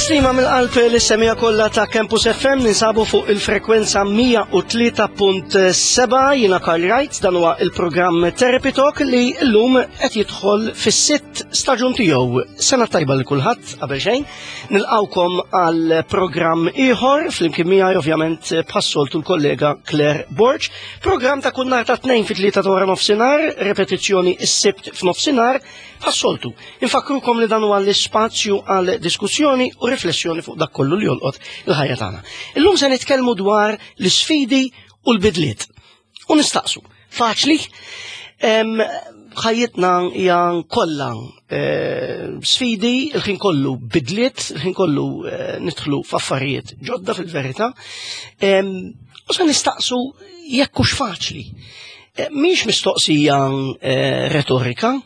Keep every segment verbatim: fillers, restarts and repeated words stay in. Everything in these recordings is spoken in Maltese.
Tislima mill-qalb lis-semmiegħa kollha ta' Campus F M, ninsabu fuq il-frekwenza mija u tlieta punt sebgħa. Jiena Karl Wright, dan huwa il-programm Therapy Talk li llum qed jidħol fis-sitt staġun tiegħu. Sena tajba lil kulħadd qabel xejn. Nilqawkom għal programm ieħor flimkien miegħi, ovvjament, bħas-soltu, l-kollega Claire Borg. Programm ta' kull nhar ta' tnejn fit-tlieta ta' wara nofsinhar, repetizzjoni s-Sibt f'nofsinhar bħas-soltu. Infakrukom li dan huwa l-ispazju għal diskussjoni u riflessjoni fuq dak kollu li jolqot il-ħajja tagħna. Illum se nitkellmu dwar l-isfidi u l-bidliet. U nistaqsu, faċli? Ħajjitna hija kollha eh, sfidi, il-ħin kollu bidliet, il-ħin kollu eh, nidħlu f'affarijiet ġodda fil-verità. U se nistaqsu jekk hux faċli. Eh, mhix mistoqsija retorika,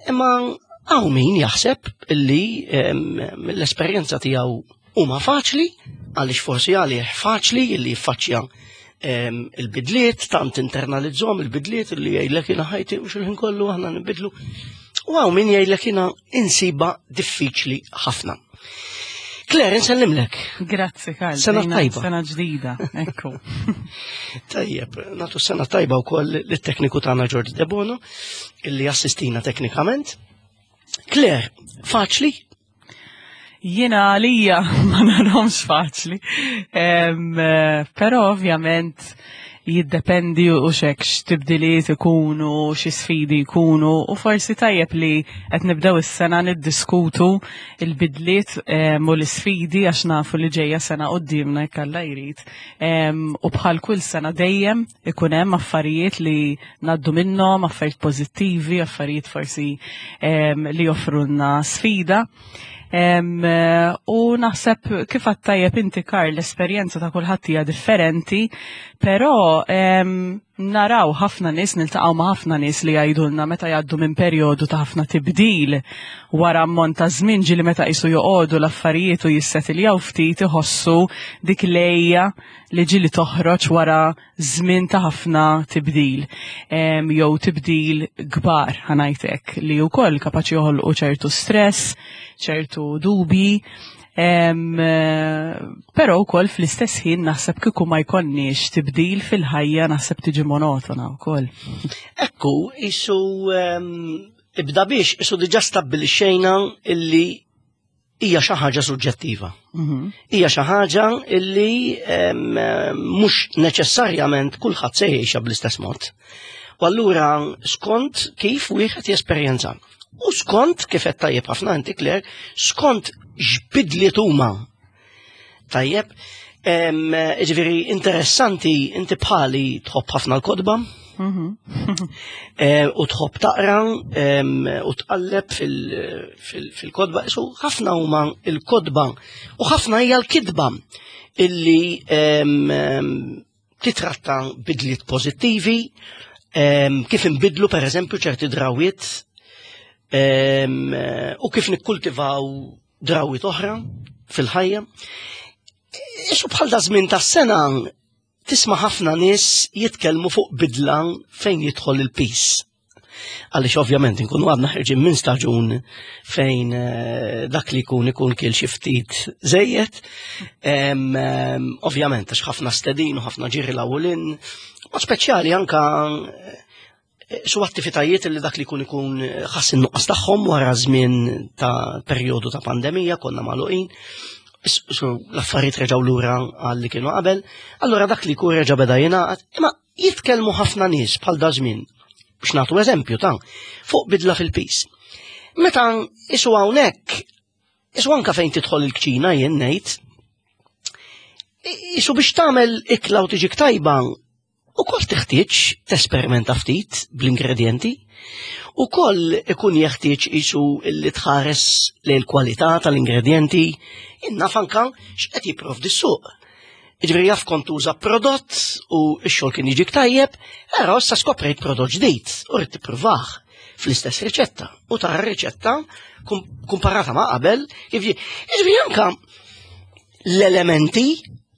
imma hawn min jaħseb illi mill-esperjenza tiegħu huma faċli, għaliex forsi għalih faċli illi jiffaċċja il-bidliet, tant internalizzahom il-bidliet illi jgħidlek, "Jiena ħajti u xil-ħin kollu aħna nibidlu." U hawn min jgħidlek, "Jiena insibha diffiċli ħafna." Claire, nsellimlek. Grazzi, Karl. Sena tajba. Sena ġdida, ekku. Tajjeb, nagħtu sena tajba wkoll lit-tekniku tagħna George Debono, illi assistina teknikament. Claire, faċli? Jiena għalija ma narahomx faċli. Però ovvjament jiddependi u xek x'tibdiliet ikunu, xi sfidi jkunu, u forsi tajjeb li qed nibdew is-sena niddiskutu il-bidliet u l-isfidi, għax nafu li ġejja sena quddiemna, jekk Alla jrid. U bħal kull sena dejjem ikun hemm affarijiet li ngħaddu minnhom, affarijiet pożittivi, affarijiet forsi li joffrulna sfida. Em, eh, U naħseb, kif tajjeb inti, Karl, l-esperjenza ta' kulħadd hija differenti, però em, naraw ħafna nies, niltaqgħu ma' ħafna nies li jgħidulna meta jgħaddu minn perjodu ta' ħafna tibdil, wara ammont ta' żmien, ġieli meta qisu joqogħdu l-affarijiet u jissetiljaw ftit, iħossu dik l-għeja li ġieli toħroġ wara żmien ta' ħafna tibdil em, jew tibdil kbar, ħa ngħidlek, li wkoll kapaċi joħolqu ċertu stress, ċertu dubi. Em, eh, Però wkoll fl-istess ħin naħseb kieku ma jkollniex tibdil fil-ħajja, naħseb tiġi monotona wkoll. Ekku, isu um, ibda biex, isu diġà stabbilixxejna illi hija xi ħaġa suġġettiva. Mhm. Hija xi ħaġa illi em, mhux neċessarjament kulħadd se jgħixha bl-istess mod. U allura skont kif wieħed jesperjenza. U skont kif qed tajjeb ħafna inti, Claire, skont x'bidliet huma. Tajjeb, em, ġifieri interessanti, inti bħali tħobb ħafna l-kotba, Mhm. eh, u tħobb taqra em, u tqalleb fil- fil- fil-kotba. So, ħafna huma il-kotba u ħafna hija l-kitba illi em, em, titratta bidliet pożittivi, em, kif inbidlu per eżempju ċerti drawiet em, u kif nikkultivaw drawiet oħra fil-ħajja. Isu bħal da żmien tas-sena tisma' ħafna nies jitkellmu fuq bidla fejn jidħol il-piż. Għaliex ovvjament nkunu għadna ħerġin minn staġun fejn eh, dak li jkun ikun kien xi ftit żejjed. Em, em, Ovvjament għax ħafna stedin u ħafna ġiri l-awlin, u speċjali anka eh, su attivitajiet li dak li jkun ikun ħass in-nuqqas tagħhom wara żmien ta' perjodu ta' pandemija, konna magħluqin. So, l-affarijiet reġgħu lura għal li kienu qabel, allura dak li jkun reġa' beda jingħaqad, imma jitkellmu ħafna nies bħal da żmien, biex nagħtu eżempju ta' fuq bidla fil-piż. Meta isu hawnhekk, isu anka fejn tidħol il-kċina, jien ngħid, isu biex tagħmel ikla u tiġik tajba, ukoll teħtieġ tesperimenta ftit bl-ingredienti, ukoll ikun jeħtieġ isu li tħares lejn il-kwalità tal-ingredienti, naf anka x'qed jipprovdi s-suq. Ġifieri jaf kont tuża prodott u x-xogħol kien jiġik tajjeb, però issa skoprejt prodott ġdid u rrid tippruvah fl-istess riċetta. U tara riċetta kumparata ma' qabel, kif ġifieri anka l-elementi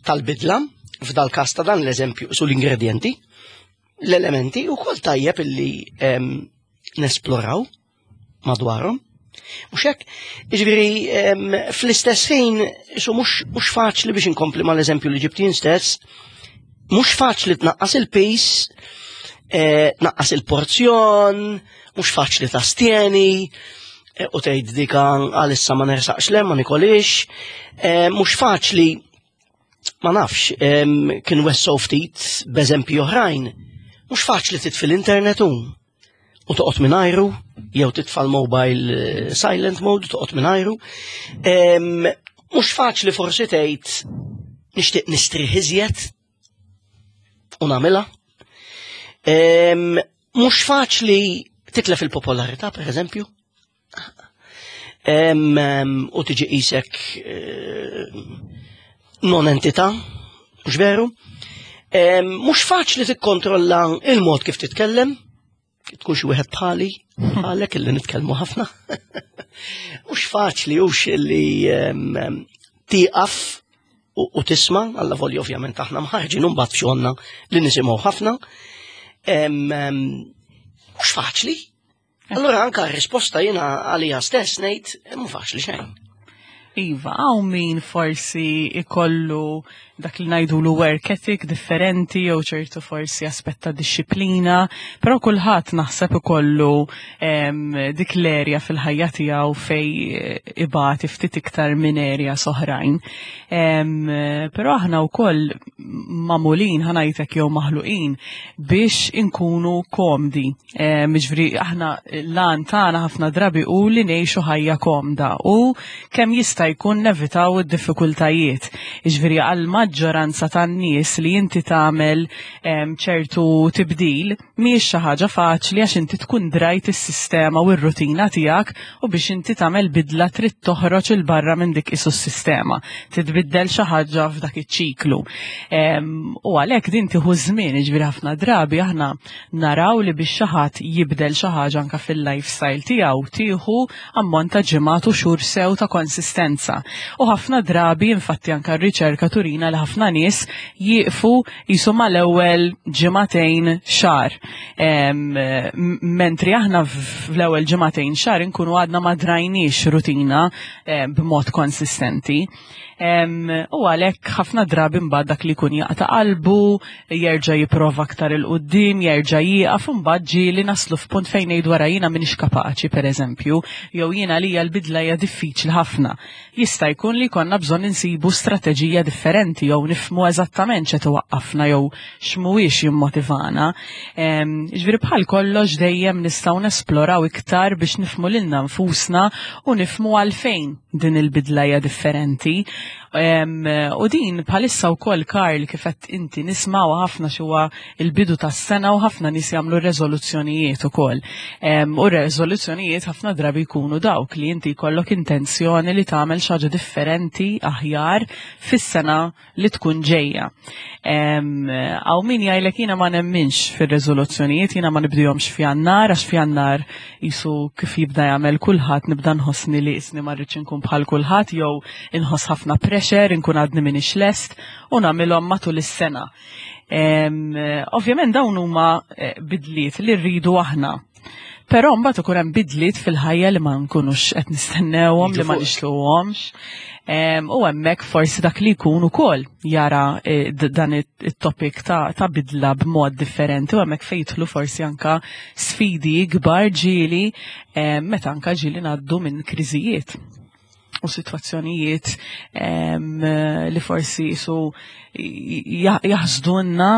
tal-bidla, f'dal każ ta' dan l-eżempju su l-ingredienti, l-elementi ukoll tajjeb illi em, nesploraw madwarhom. Mhux hekk? Jiġifieri fl-istess ħin isu mhux faċli biex inkompli mal-eżempju li ġibt jien stess, mhux faċli tnaqqas il-piż, eh, tnaqqas il-porzjon, mhux faċli tastjeni, eh, u tgħid dika għalissa ma nersaqx le ma nikolix, eh, mhux faċli ma nafx, kien wessow ftit b'eżempji oħrajn, mhux faċli titfi l-internet u u toqgħod mingħajru, jew titfa' l-mobile eh, silent mode toqgħod mingħajru. Mhux faċli forsi tgħid nixtieq nistrieħ iżjed u nagħmilha. Mhux faċli titlef il-popolarità, per eżempju. U tiġi qisek eh, non entità, mhux veru. Mhux faċli tikkontrolla il-mod kif titkellem, tkun xi wieħed bħali, bħalek illi nitkellmu ħafna. Mhux faċli hux illi tieqaf u tisma', alla volja ovvjament aħna mħarġin mbagħad f'xogħolna li nisimgħu ħafna. Mhux faċli. Allura anka r-risposta jiena għalija stess ngħid mhu faċli xejn. Iva, hawn min forsi ikollu dak li ngħidulu work ethic differenti jew ċertu forsi aspett ta' dixxiplina, però kulħadd naħseb ikollu dik l-erja fil-ħajja tiegħu fej ibati ftit iktar minn erja oħrajn. Però aħna wkoll magħmulin ħa ngħidlek jew maħluqin biex inkunu komdi. Jiġifieri aħna l-għan tagħna ħafna drabi u li ngħixu ħajja komda u kemm jista' jkun nevitaw id-diffikultajiet. Jiġifieri għal maġġoranza tan-nies li inti tagħmel ċertu tibdil mhijiex xi ħaġa faċli għax inti tkun drajt is-sistema u r-rutina tiegħek u biex inti tagħmel bidla trid toħroġ il barra minn dik isu s-sistema. Titbiddel xi ħaġa f'dak iċ-ċiklu. U għalhekk din tieħu żmien, jiġifieri ħafna drabi aħna naraw li biex xi ħadd jibdel xi ħaġa anke fil-lifestyle tiegħu tieħu ammont ta' ġimgħat u xhur sew ta' konsistenza. U ħafna drabi infatti anke r-riċerka turina li ħafna nies jieqfu jisu mal-ewwel ġimagħtejn xahar. Mentri aħna fl-ewwel ġimagħtejn xahar inkunu għadna ma drajniex rutina b'mod konsistenti. U għalhekk ħafna drabi mbagħad dak li jkun jaqta' qalbu, jerġa' jipprova aktar 'il quddiem, jerġa' jieqaf u mbagħad ġieli naslu f'punt fejn ngħidu wara jiena m'iniex kapaċi pereżempju, jew jiena lija l-bidla hija diffiċli ħafna. Jista' jkun li konna bżonn insibu strateġija differenti jew nifhmu eżattament x'qed iwaqqafna jew x'mhuwiex jimmotivana. Jiġifieri bħal kollox dejjem nistgħu nesploraw iktar biex nifhmu lilna nfusna u nifhmu għalfejn din il-bidla hija differenti. U din bħalissa wkoll Karl kif qed inti nismaw ħafna xuwa il-bidu tas-sena u ħafna nies jagħmlu reżoluzzjonijiet ukoll. U reżoluzzjonijiet ħafna drabi jkunu dawk li inti jkollok intenzjoni li tagħmel xi ħaġa differenti aħjar fis-sena li tkun ġejja. Hawn min jgħidlek jiena ma nemminx fir-reżoluzzjonijiet, jiena ma nibdihomx f'Jannar għax f'Jannar jisu kif jibda jagħmel kulħadd nibda nħossni li isni ma rridx inkun bħal kulħadd jew inħoss ħafna pressure, inkun għadni m'iniex lest u nagħmilhom matul is-sena. Ovvjament dawn huma eh, bidliet li rridu aħna. Però mbagħad ikun hemm bidliet fil-ħajja li ma nkunux qed nistennewhom, li ma nixtiequhomx. U hemmhekk forsi dak li jkun ukoll jara eh, dan it-topic ta', ta bidla b'mod differenti u hemmhekk fejn jidħlu forsi anka sfidi kbar ġieli meta anka ġieli ngħaddu minn kriżijiet u situazzjonijiet li forsi jisu jaħsdunna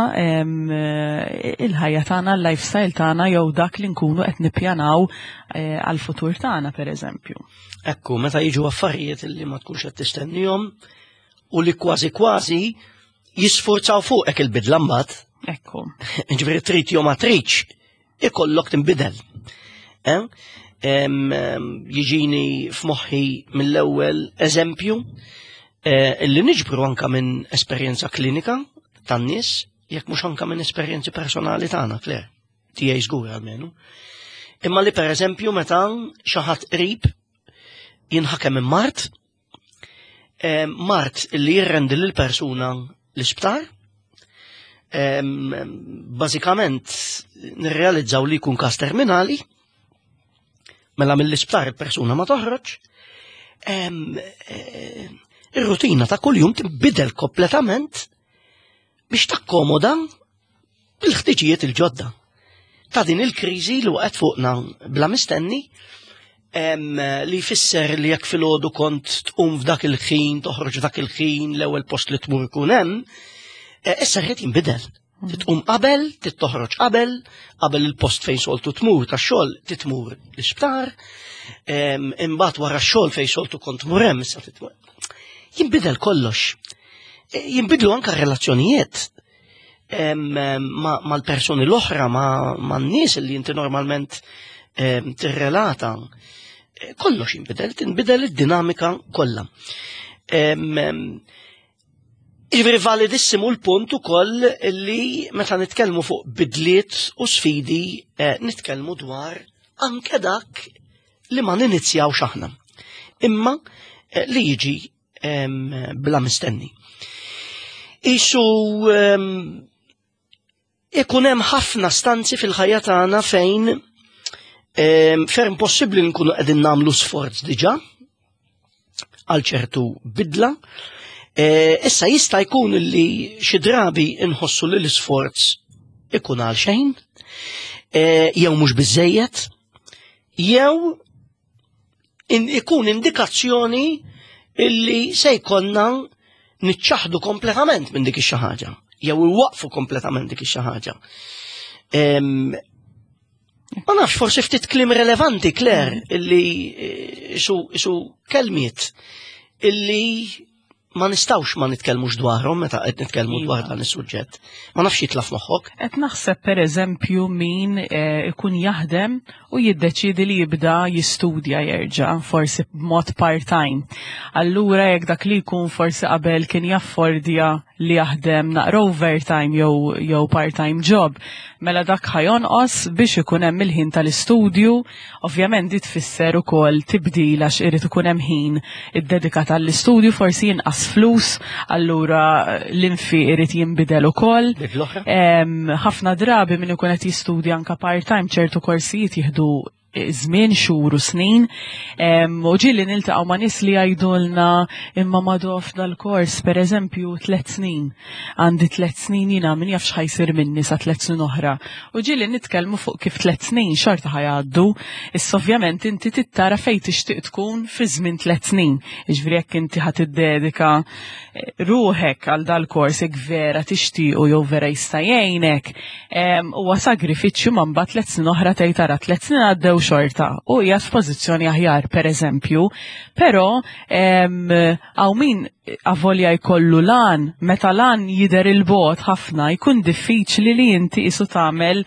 il-ħajja tagħna, l-lifestyle tagħna jew dak li nkunu qed nippjanaw eh, għal-futur tagħna pereżempju. Ekku, meta jiġu affarijiet li ma tkunx qed tistennihom u li kważi kważi jisforzaw fuqek il-bidla mbagħad. Ekku. Ġifieri trid jew ma tridx, ikollok tinbidel. Eh? Jiġini f'moħħi mill-ewwel eżempju eh, li niġbru anka minn esperjenza klinika tan-nies, jekk mhux anka minn esperjenzi personali tagħna, Claire, tiegħi żgur almenu. Imma li pereżempju meta xi ħadd qrib jinħakem minn mard, mard li jirrendi lil persuna l-isptar, bażikament nirrealizzaw li jkun każ terminali, Mela mill-isptar il-persuna ma toħroġ. Eh, ir-rutina ta' kuljum tinbidel kompletament biex takkomoda il-ħtiġijiet il-ġodda ta' din il-kriżi li waqgħet fuqna bla mistenni, li jfisser li jekk filgħodu kont tqum f'dak il-ħin, toħroġ f'dak il-ħin, l-ewwel post li tmur ikun hemm, e, issa rrid jinbidel. Titqum qabel, tittoħroġ qabel, qabel il-post fejn soltu tmur tax-xogħol titmur l-isptar, imbagħad wara x-xogħol fejn soltu kont tmur hemm issa titmur. Jinbidel kollox. E, jinbidlu anka relazzjonijiet mal-persuni l-oħra, ma' n-nies li inti normalment tirrelata. E, kollox jinbidel, tinbidel id-dinamika kollha. Jiġifieri validissimu l-punt ukoll li meta nitkellmu fuq bidliet u sfidi eh, nitkellmu dwar anke dak li ma ninizjawx aħna. Imma eh, li jiġi bla mistenni. Isu ikun hemm ħafna stanzi fil-ħajja tagħna fejn ferm possibbli nkunu qegħdin nagħmlu sforz diġà għal ċertu bidla. E, issa jista' jkun li xi drabi nħossu li l-isforz ikun għal xejn, e, jew mhux biżejjed, jew ikun indikazzjoni illi se jkollna niċċaħdu kompletament minn dik ix-xi ħaġa, jew iwaqfu kompletament dik ix-xi ħaġa. Ma nafx, forsi ftit kliem relevanti, Claire, illi eh, isu, isu kelmiet illi ma nistawx ma nitkellmux dwarhom meta qed nitkellmu Iva. dwar dan is-suġġett. Ma nafx jitlaf moħħok. Qed naħseb per eżempju min eh, ikun jaħdem u jiddeċidi li jibda jistudja jerġa' forsi b'mod part-time. Allura jekk dak li jkun forsi qabel kien jaffordja li jaħdem naqra overtime jew jew part-time job, mela dak ħa jonqos biex ikun hemm il-ħin tal-istudju. Ovvjament di tfisser ukoll tibdil għax irid ikun hemm ħin iddedikat għall-istudju, forsi jinqas flus, allura l-infiq irid jinbidel ukoll. Dik l-oħra? Em, ħafna drabi min ikun qed jistudja anka part-time, ċertu korsijiet jieħdu żmien, xhur u snin. Em, u ġieli niltaqgħu ma' nies li jgħidulna imma madof dal-kors pereżempju tliet snin. Għandi tliet snin jiena, min jaf x'ħa jsir minni sa tliet snin oħra. U ġieli nitkellmu fuq kif tliet snin xorta ħa jgħaddu. Issa ovvjament inti tittara fejn tixtieq tkun fi żmien tliet snin. Jiġifieri jekk inti ħa tiddedika eh, ruħek għal dal-kors, jekk vera tixtiequ jew vera jista' jgħinek, em, huwa sagrifiċċju, ma mbagħad tliet snin oħra tgħid tara tliet snin għaddew xorta u hija f'pożizzjoni aħjar pereżempju, però em, hawn min avolja jkollu lan, meta lan jidher il-bogħod ħafna jkun diffiċli li inti isu tagħmel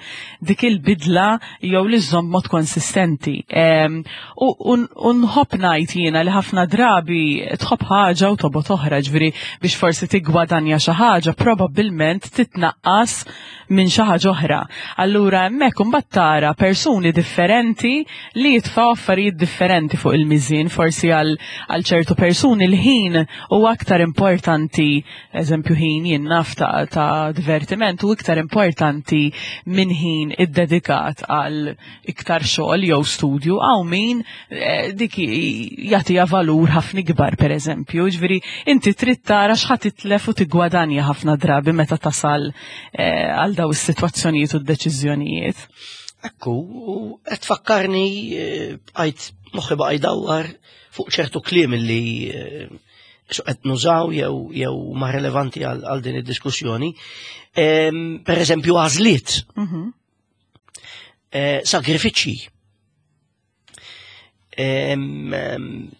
dik il-bidla jew li żżomm mod konsistenti. Em, U u nħobb ngħid jiena li ħafna drabi tħobb ħaġa u tobgħod oħra, ġifieri biex forsi tiggwadanja xi ħaġa probabbilment titnaqqas minn xi ħaġa oħra. Allura hemmhekk imbagħad tara persuni differenti li jitfgħu affarijiet differenti fuq il-miżin, forsi għal għal ċertu persuni l-ħin huwa aktar importanti, eżempju ħin jien naf ta', ta' divertiment u iktar importanti minn ħin iddedikat għal iktar xogħol jew studju, hawn min eh, dik jagħtiha valur ħafna ikbar pereżempju. Ġifieri inti trid tara x'ħa titlef u tiggwadanja ħafna drabi meta tasal eh, għal daw is-sitwazzjonijiet u d-deċiżjonijiet. Ekku, u qed tfakkarni, eh, bqajt moħħi baqa' jdawwar fuq ċertu kliem li eh, so qed nużaw jew jew ma relevanti għal għal din id-diskussjoni. Em, Per eżempju għażliet, Mhm. eh, sagrifiċċji, Em, em,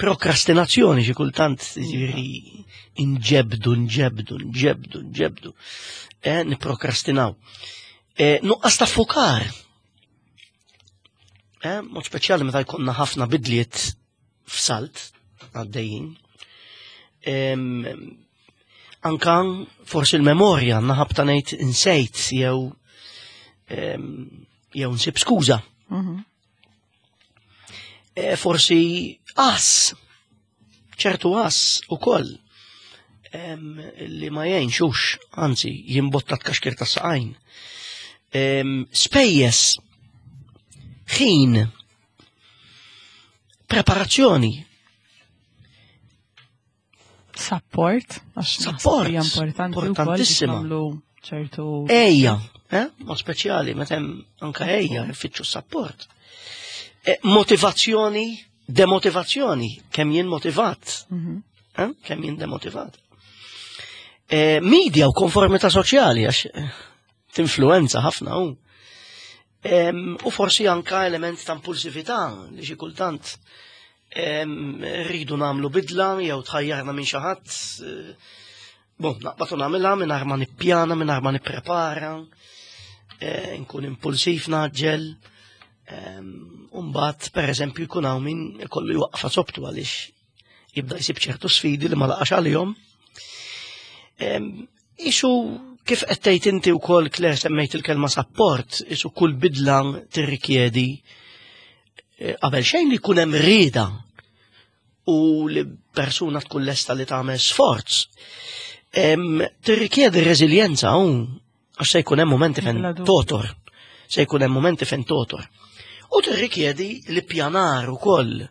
prokrastinazzjoni xi kultant, jiġifieri inġebdu, nġebdu, nġebdu, nġebdu, eh, niprokrastinaw. Eh, Nuqqas ta' fukar. Eh, mod speċjali meta jkollna ħafna bidliet f'salt għaddejjin. Em, Anka forsi l-memorja naħabta ngħid insejt jew em, jew nsib skuża. Mhm. E, forsi għas, ċertu għas u koll, em, li ma jgħinxux, anzi, jimbotta tkaxkir ta' saqajn. Em, Spejjeż, ħin, Preparazzjoni. Support, għax Support, hija importanti wkoll biex importantissima. nagħmlu ċertu Ejja, eh? Ma speċjali, meta hemm anka ejja, nfittxu support. Eh, motivazzjoni, demotivazzjoni, kemm jien motivat, Mhm. eh? Kemm jien demotivat. Eh, media u konformità soċjali, għax eh, tinfluenza ħafna u. Em, u forsi anka element ta' impulsività li xi kultant em, rridu nagħmlu bidla jew tħajjarna minn xi ħadd. eh, Bon, naqbad u nagħmilha mingħajr ma nippjana, mingħajr ma nipprepara, eh, nkun impulsiv naġġel. Em, U mbagħad pereżempju jkun hawn min ikollu jwaqfa sobtu għaliex jibda jsib ċertu sfidi li ma laqax għalihom. Em, Isu kif qed tgħid inti wkoll, Claire, semmejt il-kelma support, isu kull bidla tirrikjedi eh, qabel xejn li jkun hemm rieda u li persuna tkun lesta li tagħmel sforz. Em, Tirrikjedi reżiljenza u għax se jkun hemm momenti fejn Bla dubju. totor. Se jkun hemm momenti fejn totor. U tirrikjedi li pjanar ukoll.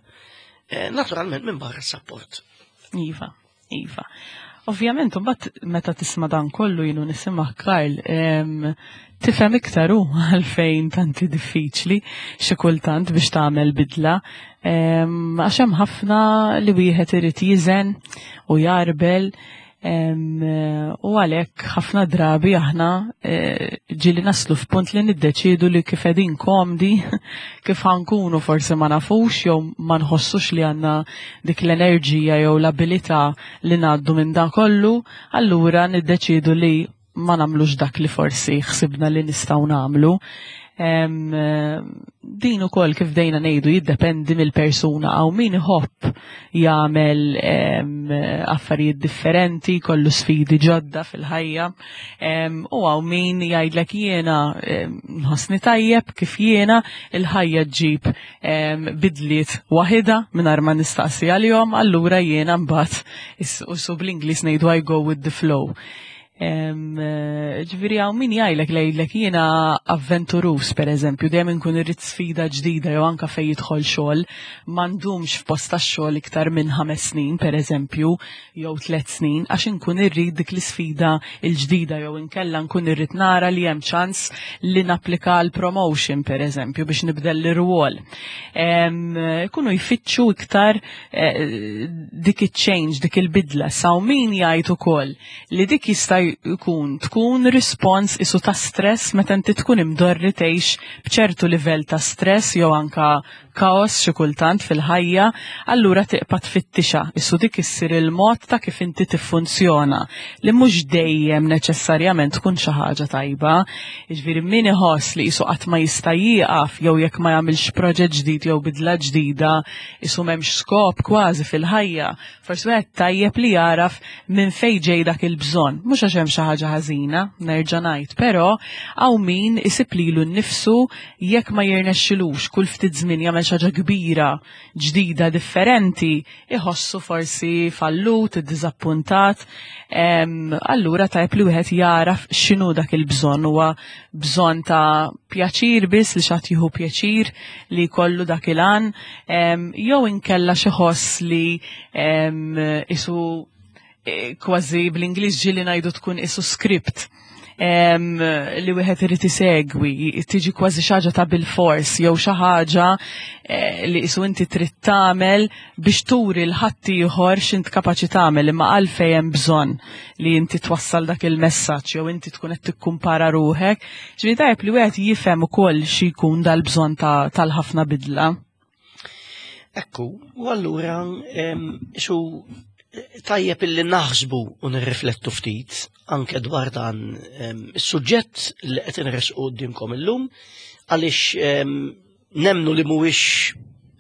Eh, Naturalment minn barra s-support. Iva, iva. Ovvjament, mbagħad meta tisma' dan kollu jienu nisimgħek, Karl, em, tifhem iktar u għalfejn tanti diffiċli xi kultant biex tagħmel bidla. Em, Għax hemm ħafna li wieħed irid jiżen u jarbel em, u għalhekk ħafna drabi aħna eh, ġieli naslu f'punt li niddeċidu li kif qegħdin komdi, kif ħankunu forsi ma nafux jew ma nħossux li għandna dik l-enerġija jew l-abilità li ngħaddu minn dan kollu, allura niddeċidu li ma nagħmlux dak li forsi ħsibna li nistgħu nagħmlu. Em, eh, din ukoll kif dejna ngħidu jiddependi mill-persuna. Għaw min iħobb jagħmel em, affarijiet differenti, kollu sfidi ġodda fil-ħajja, em, u għaw min jgħidlek jiena em, nħossni tajjeb kif jiena, il-ħajja ġġib em, bidliet waħida mingħajr ma nistaqsi għalihom, allura jiena mbagħad is- u su bl-Ingliż ngħidu "I go with the flow". Em, eh, Ġifieri għaw min jgħidlek li jgħidlek jiena avventurus, per eżempju, dejjem inkun irrid sfida ġdida jew anka fejn jidħol xogħol, ma ndumx f'post tax-xogħol iktar minn ħames snin, per eżempju, jew tliet snin, għax inkun irrid dik l-isfida l-ġdida jew inkella nkun irrid nara li hemm ċans li napplika l promotion, per eżempju, biex nibdel l-irwol. Em, Ikunu jfittxu iktar eh, dik il-change, dik il-bidla. Saw min jgħid ukoll li dik jista' jkun tkun respons isu ta' stress meta inti tkun imdorri tgħix b'ċertu livell ta' stress jew anka kaos xi kultant fil-ħajja, allura tibqa' tfittixa. Isu dik issir il-mod ta' kif inti tiffunzjona li mhux dejjem neċessarjament tkun xi ħaġa tajba. Jiġifieri min iħoss li qisu qatt ma jista' jieqaf jew jekk ma jagħmilx proġett ġdid jew bidla ġdida, isu m'hemmx skop kważi fil-ħajja. Forsi wieħed tajjeb li jaraf minn fejn ġej dak il-bżonn. Mhux għax hemm xi ħaġa ħażina, nerġa' ngħid, però hawn min isib lilu nnifsu jekk ma jirnexxilux kull ftit żmien jagħmel xi ħaġa kbira, ġdida, differenti, iħossu forsi fallut, iddiżappuntat. Em, Allura tajjeb li wieħed jaraf x'inhu dak il-bżonn. Huwa bżonn ta' pjaċir biss, li xi ħadd jieħu pjaċir li jkollu dak il-għan, em, jew inkella xi ħoss li em, isu eh, kważi bl-Ingliż ġieli ngħidu tkun isu script em, li wieħed irid isegwi, tiġi kważi xi ħaġa ta' bil-fors jew xi ħaġa eh, li isu inti trid tagħmel biex turi lil ħaddieħor x'int kapaċi tagħmel, imma għalfejn hemm bżonn li inti twassal dak il-messaġġ jew inti tkun qed tikkumpara ruħek? Ġifieri tajjeb li wieħed jifhem ukoll xi jkun dal-bżonn ta' tal-ħafna bidla. Ekku, u allura em, xu tajjeb illi naħsbu u nirriflettu ftit anke dwar dan em, is-suġġett li qed inresqu quddiemkom illum, għaliex em, nemnu li mhuwiex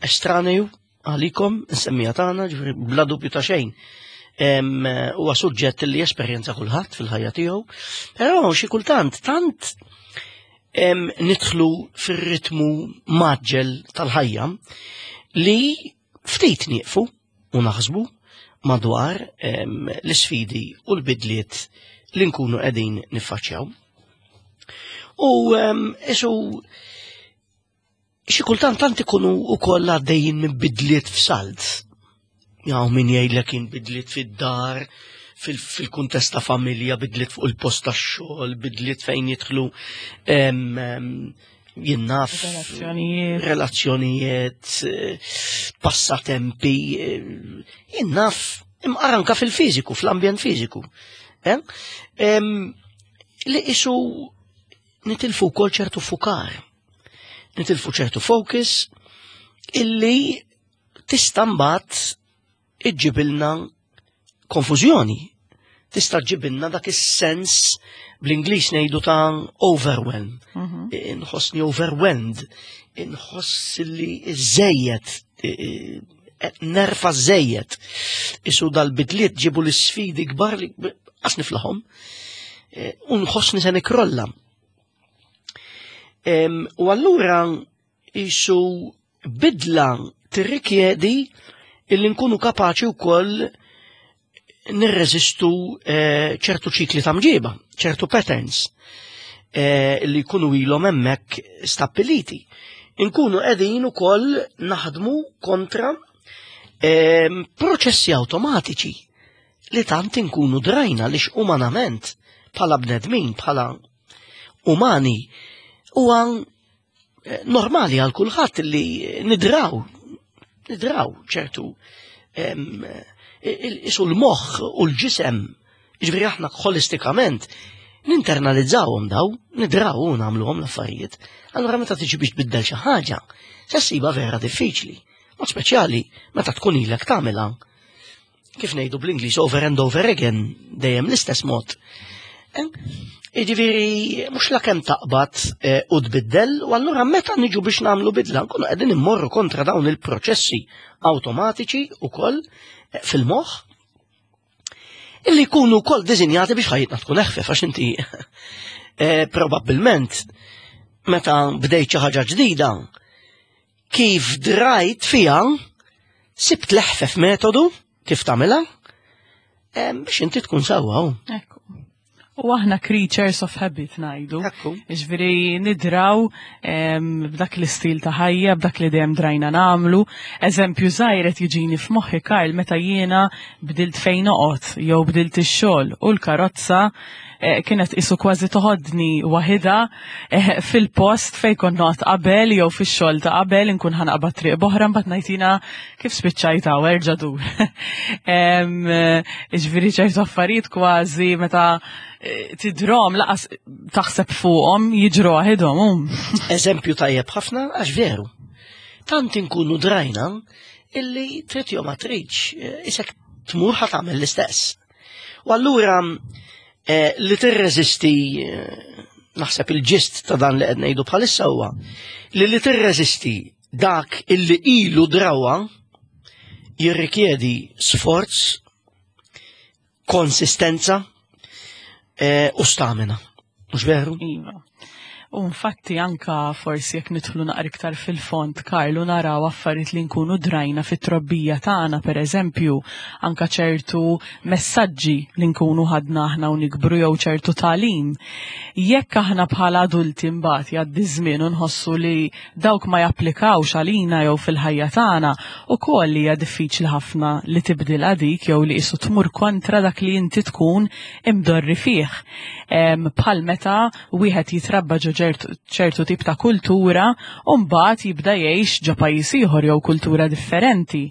estranju għalikom, nsemmija tagħna, ġifieri bla dubju ta' xejn. Em, Huwa suġġett li jesperjenza kulħadd fil-ħajja tiegħu, però xi kultant tant em, nidħlu fir-ritmu maġġel tal-ħajja li ftit nieqfu u naħsbu madwar em, l-isfidi u l-bidliet li nkunu qegħdin niffaċċjaw. U em, isu Xi kultant tant ikunu wkoll għaddejjin minn bidliet f'salt. Jaw min jgħidlek kien bidliet fid-dar, fil-kuntest ta' familja, bidliet fuq il-post tax-xogħol, bidliet fejn jidħlu jien naf Relazzjonijiet. Relazzjonijiet, passatempi, jien naf, imqar anka fil-fiżiku, fl-ambjent fiżiku. Eh? Li isu nitilfu wkoll ċertu fukar, nitilfu ċertu focus illi tista' mbagħad iġġibilna konfużjoni. Tista' ġġibilna dak is-sens bl-Ingliż ngħidu ta' overwhelm. Mhm. Inħossni overwhelmed, inħoss li żejjed, nerfa żejjed. Isu dal-bidliet ġibu l-sfidi kbar li qas niflaħhom. U nħossni se nikrolla. U allura isu bidla tirrikjedi illi nkunu kapaċi wkoll nirreżistu eh, ċertu ċikli ta' mġiba, ċertu patterns eh, li jkunu ilhom hemmhekk stabbiliti. Inkunu qegħdin ukoll naħdmu kontra eh, proċessi awtomatiċi li tant inkunu drajna li umanament bħala bnedmin, bħala umani, huwa eh, normali għal kulħadd li nidraw, nidraw ċertu em, isu l-moħħ u l-ġisem, ġifieri aħna holistikament, ninternalizzawhom daw, nidraw u nagħmluhom l-affarijiet. Allura meta tiġi biex tbiddel xi ħaġa, se ssiba vera diffiċli. Mod speċjali meta tkun ilek tagħmilha. Kif ngħidu bl-Ingliż over and over again, dejjem l-istess mod. Eh? Jiġifieri mhux la kemm taqbad eh, u tbiddel, u allura meta niġu biex nagħmlu bidla, nkunu qegħdin immorru kontra dawn il-proċessi awtomatiċi ukoll eh, fil-moħħ illi jkunu wkoll dizinjati biex ħajjitna tkun eħfef għax inti eh, probabbilment meta bdejt xi ħaġa ġdida kif drajt fija sibt l-eħfef metodu kif tagħmilha eh, biex inti tkun sewwa. Ekku. U aħna creatures of habit ngħidu. Ekku. Ġifieri nidraw em, b'dak l-istil ta' ħajja, b'dak li dejjem drajna nagħmlu. Eżempju żgħir qed jiġini f'moħħi Karl meta jiena bdilt fejn noqgħod jew bdilt ix-xogħol u l-karozza eh, kienet isu kważi toħodni waħida eh, fil-post fejn kont noqgħod qabel jew fix-xogħol ta' qabel inkun ħa naqbad triq b'oħra mbagħad ngħid jiena kif spiċċajt hawn erġa' dur. Em, eh, Ġifieri ċertu affarijiet kważi meta eh, tidrom lanqas taħseb fuqhom jiġru waħidhom. um. Eżempju tajjeb ħafna għax veru. Tant inkunu drajna illi trid jew ma tridx, eh, isek tmur ħa tagħmel l-istess. U allura eh, li tirreżisti eh, naħseb il-gist ta' dan li qed ngħidu bħalissa huwa li li tirreżisti dak illi ilu drawa jirrikjedi sforz, konsistenza eh, u stamina. Mhux veru? Iva. U infatti anka forsi jekk nidħlu naqra iktar fil-fond, Karlu, naraw affarijiet li nkunu drajna fit-trobbija tagħna, pereżempju, anka ċertu messaġġi li nkunu ħadna aħna u nikbru jew ċertu tagħlim. Jekk aħna bħala adulti mbagħad jgħaddi żmien u nħossu li dawk ma japplikawx għalina jew fil-ħajja tagħna, ukoll hija diffiċli ħafna li tibdilha dik jew li qisu tmur kontra dak li inti tkun imdorri fih. Em, Bħal meta wieħed jitrabba ġo ċertu ċertu tip ta' kultura u mbagħad jibda jgħix ġo pajjiż ieħor jew kultura differenti.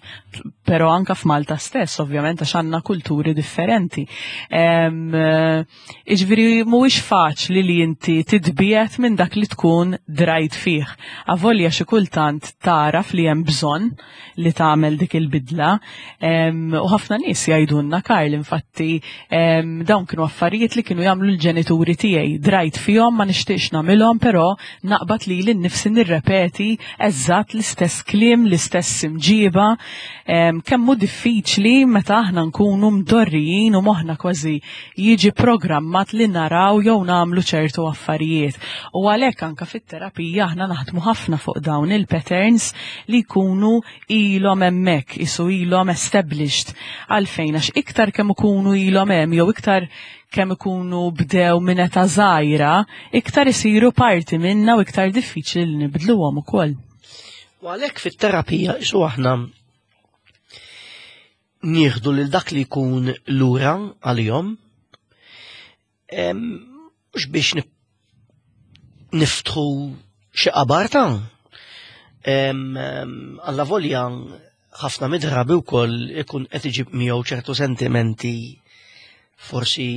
Però anka f'Malta stess, ovvjament, għax għandna kulturi differenti. Em, eh, Jiġifieri mhuwiex faċli li inti titbiegħed minn dak li tkun drajt fih. Avolja xi kultant taraf li hemm bżonn li tagħmel dik il-bidla. Em, U ħafna nies jgħidulna Karl, infatti em, dawn kienu affarijiet li kienu jagħmlu l-ġenituri tiegħi. Drajt fihom ma nixtieqx nagħmilhom, però naqbad li lili nnifsi nirrepeti eżatt l-istess kliem, l-istess imġiba. Em, Kemm hu diffiċli meta aħna nkunu mdorrijin u moħħna kważi jiġi programmat li naraw jew nagħmlu ċertu affarijiet. U għalhekk anka fit-terapija aħna naħdmu ħafna fuq dawn il-patterns li jkunu ilhom hemmhekk, isu ilhom established. Għalfejn għax iktar kemm ikunu ilhom hemm jew iktar kemm ikunu bdew minn età żgħira, iktar isiru parti minna u iktar diffiċli li nibdluhom ukoll. U għalhekk fit-terapija isu aħna nieħdu lil dak li jkun lura għalihom, mhux biex niftħu xi qabar ta' alla volja ħafna midrabi wkoll ikun qed iġib miegħu ċertu sentimenti forsi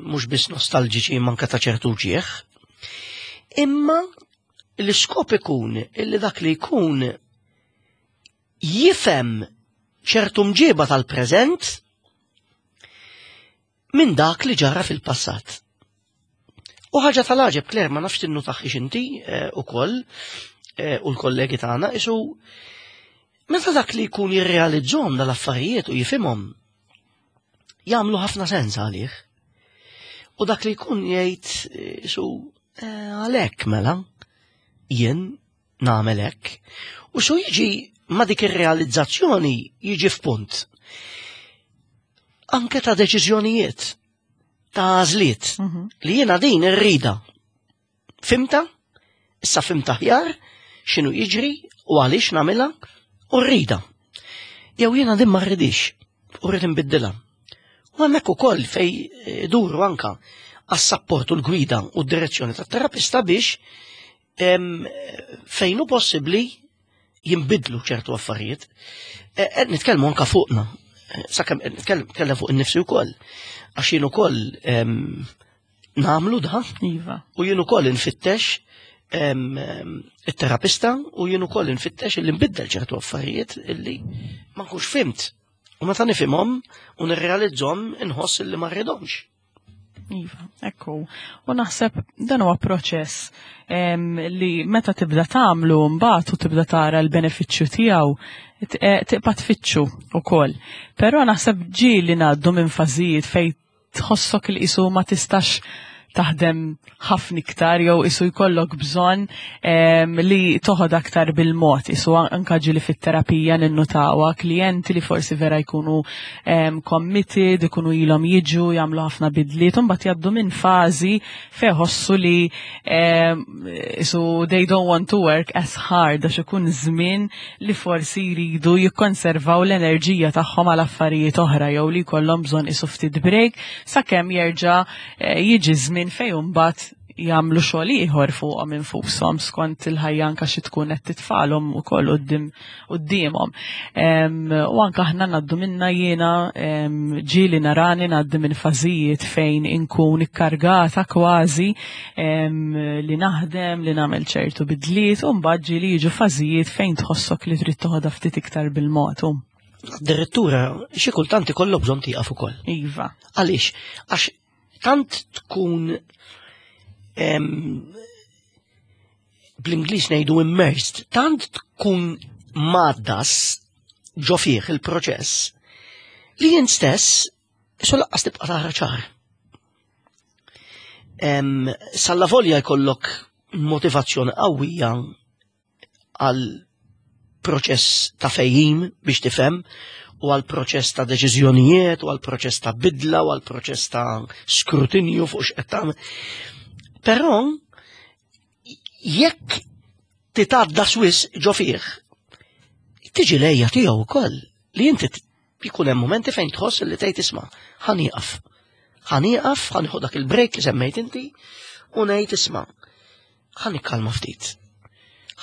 mhux biss nostalġiċi manka ta' ċertu ġieħ. Imma l-iskop ikun illi dak li jkun jifhem ċertu mġiba tal-preżent minn dak li ġara fil-passat. U ħaġa tal-għaġeb, Claire, ma nafx tinnu taħħix inti ukoll u l-kollegi tagħna, isu meta dak li jkun jirrealizzhom dal-affarijiet u jifhimhom, jagħmlu ħafna sens għalih. U dak li jkun jgħid isu għalhekk mela jien nagħmel hekk. U xu jiġi ma dik ir-realizzazzjoni jiġi f'punt. Anke ta' deċiżjonijiet, ta' għażliet, li jiena din irrida. Fimta? Issa fimta aħjar x'inhu jiġri u għaliex nagħmilha u rrida. Jew jiena din ma rridix u rrid inbiddilha. U hemmhekk ukoll fej duru anka għas-sapport u l-gwida u d-direzzjoni tat-terapista biex fejn hu possibbli jinbidlu ċertu affarijiet. Qed nitkellmu anka fuqna. Sakemm qed nitkellem fuq innifsi wkoll. Għax jien ukoll nagħmlu da. Iva. U jien ukoll infittex it-terapista u jien ukoll infittex illi nbiddel ċertu affarijiet illi ma nkunx fimt. U meta nifhimhom u nirrealizzhom inħoss illi ma rridhomx. Iva, ekku. U naħseb dan huwa proċess li meta tibda tagħmlu mbagħad u tibda tara l-benefiċċju tiegħu tibqa' tfittxu ukoll. Però naħseb ġieli ngħaddu minn fażijiet fejn tħossok li qisu ma tistax taħdem ħafna iktar jew isu jkollok bżonn li toħod aktar bil-mod. Isu anka ġieli fit-terapija ninnutawa klijenti li forsi vera jkunu committed, ikunu ilhom jiġu, jagħmlu ħafna bidliet, u mbagħad jgħaddu minn fażi fejn ħossu li isu they don't want to work as hard għax ikun żmien li forsi jridu jikkonservaw l-enerġija tagħhom għal affarijiet oħra jew li jkollhom bżonn isu ftit break sakemm jerġa' jiġi żmien fejn mbagħad jagħmlu xogħol ieħor fuqhom infushom skont il-ħajja anke xi tkun qed titfalhom ukoll quddiemhom. U anke aħna ngħaddu minna jiena ġieli narani ngħaddi minn fażijiet fejn inkun ikkargata kważi li naħdem, li nagħmel ċertu bidliet, u mbagħad ġieli jiġu fażijiet fejn tħossok li trid toħodha ftit iktar bil-mod. Addirittura xi kultant ikollok bżonn tieqaf ukoll. Iva. Għaliex? Għax tant tkun bl-Ingliż ngħidu immersed, tant tkun maddas ġo fih il-proċess li jien stess isu laqqas tibqa' tara ċar. Salla volja jkollok motivazzjoni qawwija għal proċess ta' fejjim biex tifhem, u għal proċess ta' deċiżjonijiet, u għal proċess ta' bidla, u għal proċess ta' skrutinju fuq x'qed tagħmel. Però jekk titgħadda swiss ġo fih, tiġi lejja tiegħu wkoll li inti jkun hemm momenti fejn tħoss li tgħid isma' ħa nieqaf. Ħa nieqaf, ħa nieħu dak il-break li semmejt inti u ngħid isma' ħa nikkalma ftit.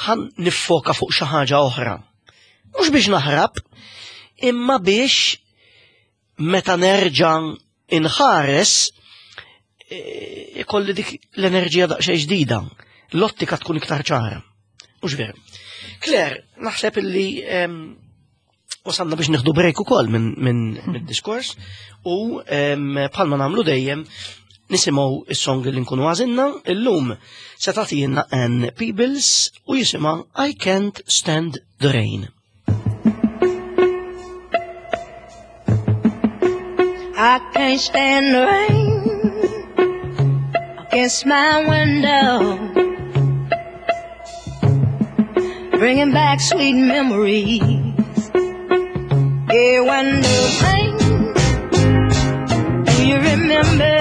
Ħa niffoka fuq xi ħaġa oħra. Mhux biex naħrab, imma biex meta nerġa' inħares ikolli dik l-enerġija daqsxejn ġdida, l-ottika tkun iktar ċara. Mhux veru. Claire, naħseb illi wasalna biex nieħdu break ukoll minn min diskors u bħalma nagħmlu dejjem nisimgħu is-song li nkunu għażilna, illum se tagħtina Ann Peebles u jisimha I Can't Stand the Rain. I can't stand the rain against my window, bringing back sweet memories. Yeah, window pane, do you remember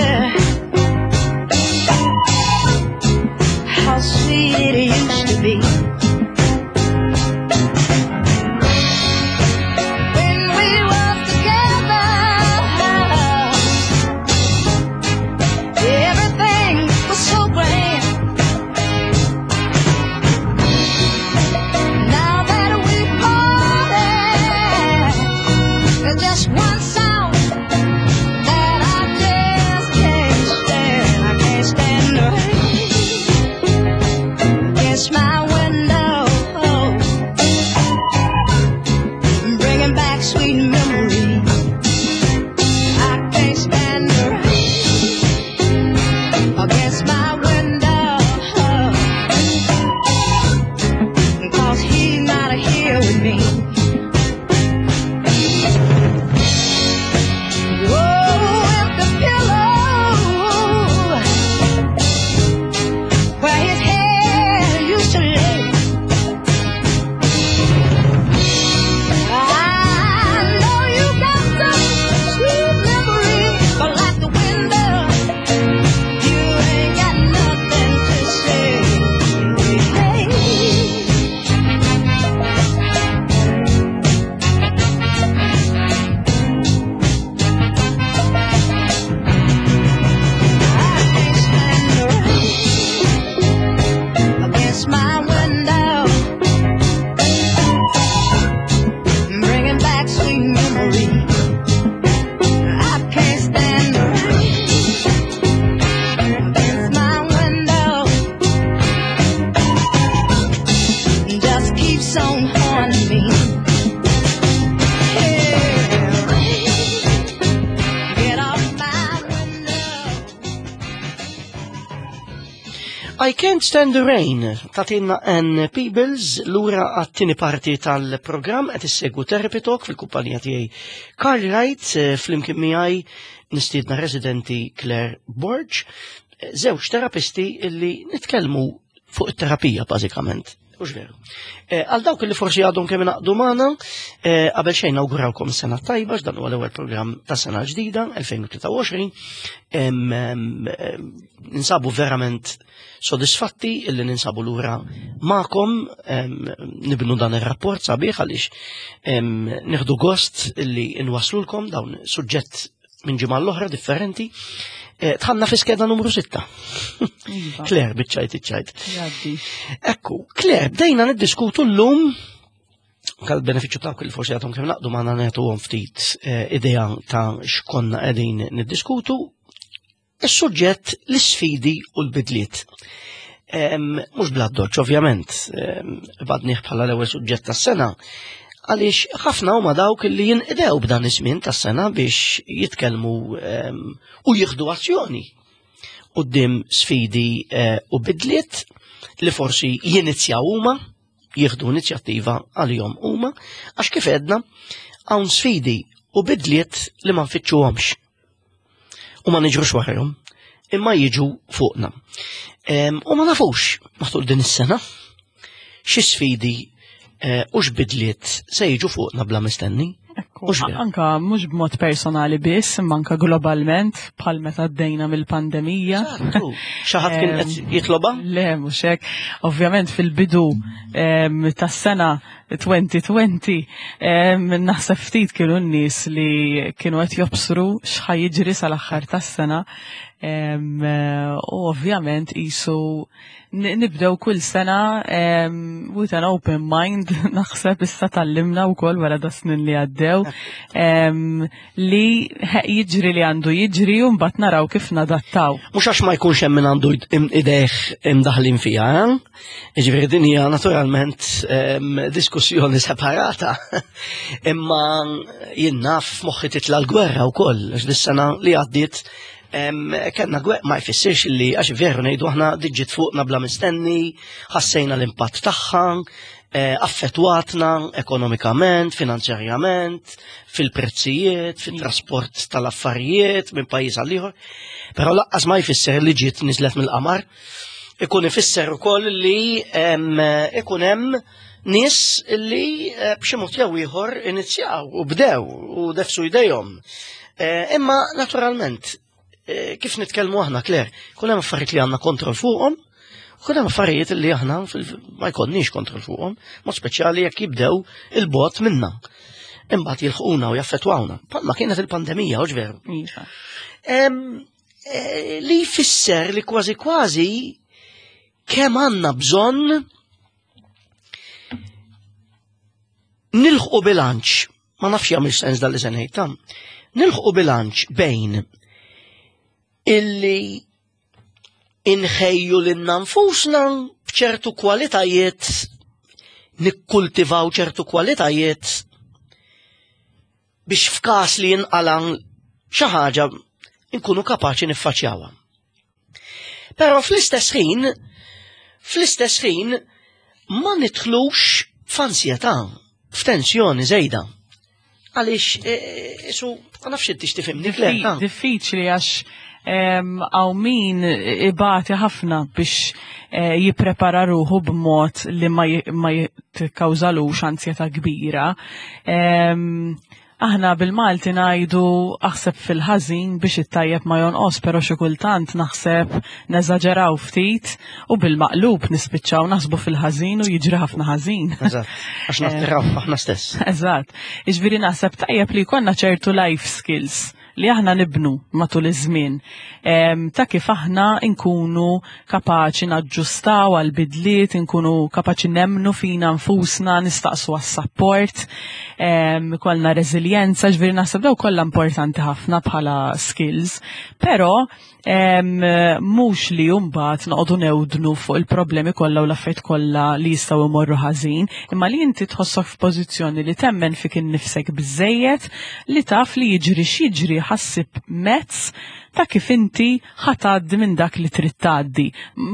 how sweet it used to be? my window, 'cause he's not here with me. Oh, if the pillow where his head used to lay, I know you got some sweet memory, but like the window, you ain't got nothing to say. Hey. I can't stand the rain against my window, bringing back sweet memories. I can't stand the rain against my window. Just keeps on haunting me. Yeah, rain, get off my window. I Can't Stand the Rain, tatina Ann Peebles, lura għat-tieni parti tal-programm qed issegwu Therapy Talk fil-kumpanija tiegħi Carl Wright, eh, flimkien miegħi nistiedna residenti Claire Borg, eh, żewġ terapisti illi nitkellmu fuq it-terapija bażikament. Hux veru. Eh, Għal dawk li forsi għadhom kemm ingħaqdu magħna, eh, qabel xejn nawgurawkom sena tajba, x'dan huwa l-ewwel programm ta' sena ġdida, elfejn u tlieta u għoxrin. Em, em, em, Ninsabu verament sodisfatti illi ninsabu lura magħkom, em, nibnu dan ir-rapport sabiħ għaliex em, nieħdu gost illi nwaslulkom dawn suġġett minn ġimgħa l-oħra differenti. Eh, Tħanna fi skeda numru sitta. Iva, Claire, biċċajt, iċċajt. Jgħaddi. Ekku, Claire, bdejna niddiskutu l-lum kal benefiċċju ta' li forsi għadhom kemm naqdu magħna nagħtuhom ftit eh, idea ta' x'konna qegħdin niddiskutu. Is-suġġett l-isfidi u l-bidliet. Em, Mhux bla doċ, ovvjament, em, badnih bħala l-ewwel suġġett tas-sena, għaliex ħafna huma dawk li jinqdew b'dan iż-żmien tas-sena biex jitkellmu em, u jieħdu azzjoni quddiem sfidi eh, u bidliet li forsi jinizjaw huma, jieħdu inizjattiva għalihom huma, għax kif edna hawn sfidi u bidliet li ma nfittxuhomx u ma niġrux warahom, imma jiġu fuqna. Em, U ma nafux matul din is-sena xi sfidi eh, u x'bidliet se jiġu fuqna bla mistenni. Ekku, Mhux veru. anka mhux b'mod personali biss, imma anka globalment, bħal meta għaddejna mill-pandemija. Xi ħadd kien qed jitloba? Le, mhux hekk. Ovvjament fil-bidu em, tas-sena elfejn u għoxrin em, naħseb ftit kienu n-nies li kienu qed jobsru x'ħa jiġri sal-aħħar tas-sena. Em, eh, U ovvjament qisu n- nibdew kull sena em, with an open mind, naħseb issa tgħallimna wkoll wara da snin li għaddew em, li he- jiġri li għandu jiġri u mbagħad naraw kif nadattaw. Mhux għax ma jkunx hemm min għandu id- im- idejh imdaħlin fiha, eh? Jiġifieri din hija naturalment em, diskussjoni separata. Imma jien naf f'moħħi titla l-gwerra wkoll, għax dis-sena li għaddiet em, kellna gwerra, ma jfissirx li għax veru ngħidu aħna diġġiet fuqna bla mistenni, ħassejna l-impatt tagħha, eh, affettwatna ekonomikament, finanzjarjament, fil-prezzijiet, fil-trasport tal-affarijiet minn pajjiż għal ieħor. Però lanqas ma jfisser li ġiet niżlet mill-qamar. Ikun ifisser ukoll li em, ikun hemm nies li eh, b'xi mod jew ieħor inizjaw u bdew u defsu jdejhom. Eh, Imma naturalment, eh, kif nitkellmu aħna, Claire, kun hemm affarijiet li għandna kontroll fuqhom, u kun hemm affarijiet li aħna fil- ma jkollniex kontroll fuqhom, mod speċjali jekk jibdew il-bogħod minna. Imbagħad jilħquna u jaffettwawna. Palma kienet il-pandemija, u veru. Iva. Em, eh, li jfisser li kważi kważi kemm għandna bżonn nilħqu bilanċ, ma nafx jagħmel sens dal li se ngħid tam, nilħqu bilanċ bejn illi inħejju lilna nfusna b'ċertu kwalitajiet, nikkultivaw ċertu kwalitajiet biex f'każ li jinqalan xi ħaġa nkunu kapaċi niffaċċjawha. Però fl-istess ħin, fl-istess ħin ma nidħlux f'ansjetà, f'tensjoni żejda. Għaliex, e, e, su, ma nafx inti x'tifhimni, Claire. Diffiċli għax hawn min ibati ħafna biex eh, jipprepara ruħu b'mod li ma jikkawżalux ansjetà kbira. Aħna bil-Malti ngħidu aħseb fil-ħażin biex it-tajjeb ma jonqos, però xi kultant naħseb neżaġeraw ftit u bil-maqlub nispiċċaw naħsbu fil-ħażin u jiġri ħafna ħażin. Eżatt, għax nattiraw aħna stess. Eżatt. Jiġifieri naħseb tajjeb li jkollna ċertu life skills li aħna nibnu matul iż-żmien ta' kif aħna nkunu kapaċi naġġustaw għal bidliet, nkunu kapaċi nemnu fina nfusna, nistaqsu għas-support, kollna reżiljenza, ġifieri naħseb daw kollha importanti ħafna bħala skills, però mhux li mbagħad noqogħdu newdnu fuq il-problemi kollha u l-affarijiet kollha li jistgħu jmorru ħażin, imma li inti tħossok f'pożizzjoni li temmen fik innifsek biżejjed li taf li jiġri x'jiġri ħa ssib mezz ta' kif inti ħa tgħaddi minn dak li trid tgħaddi.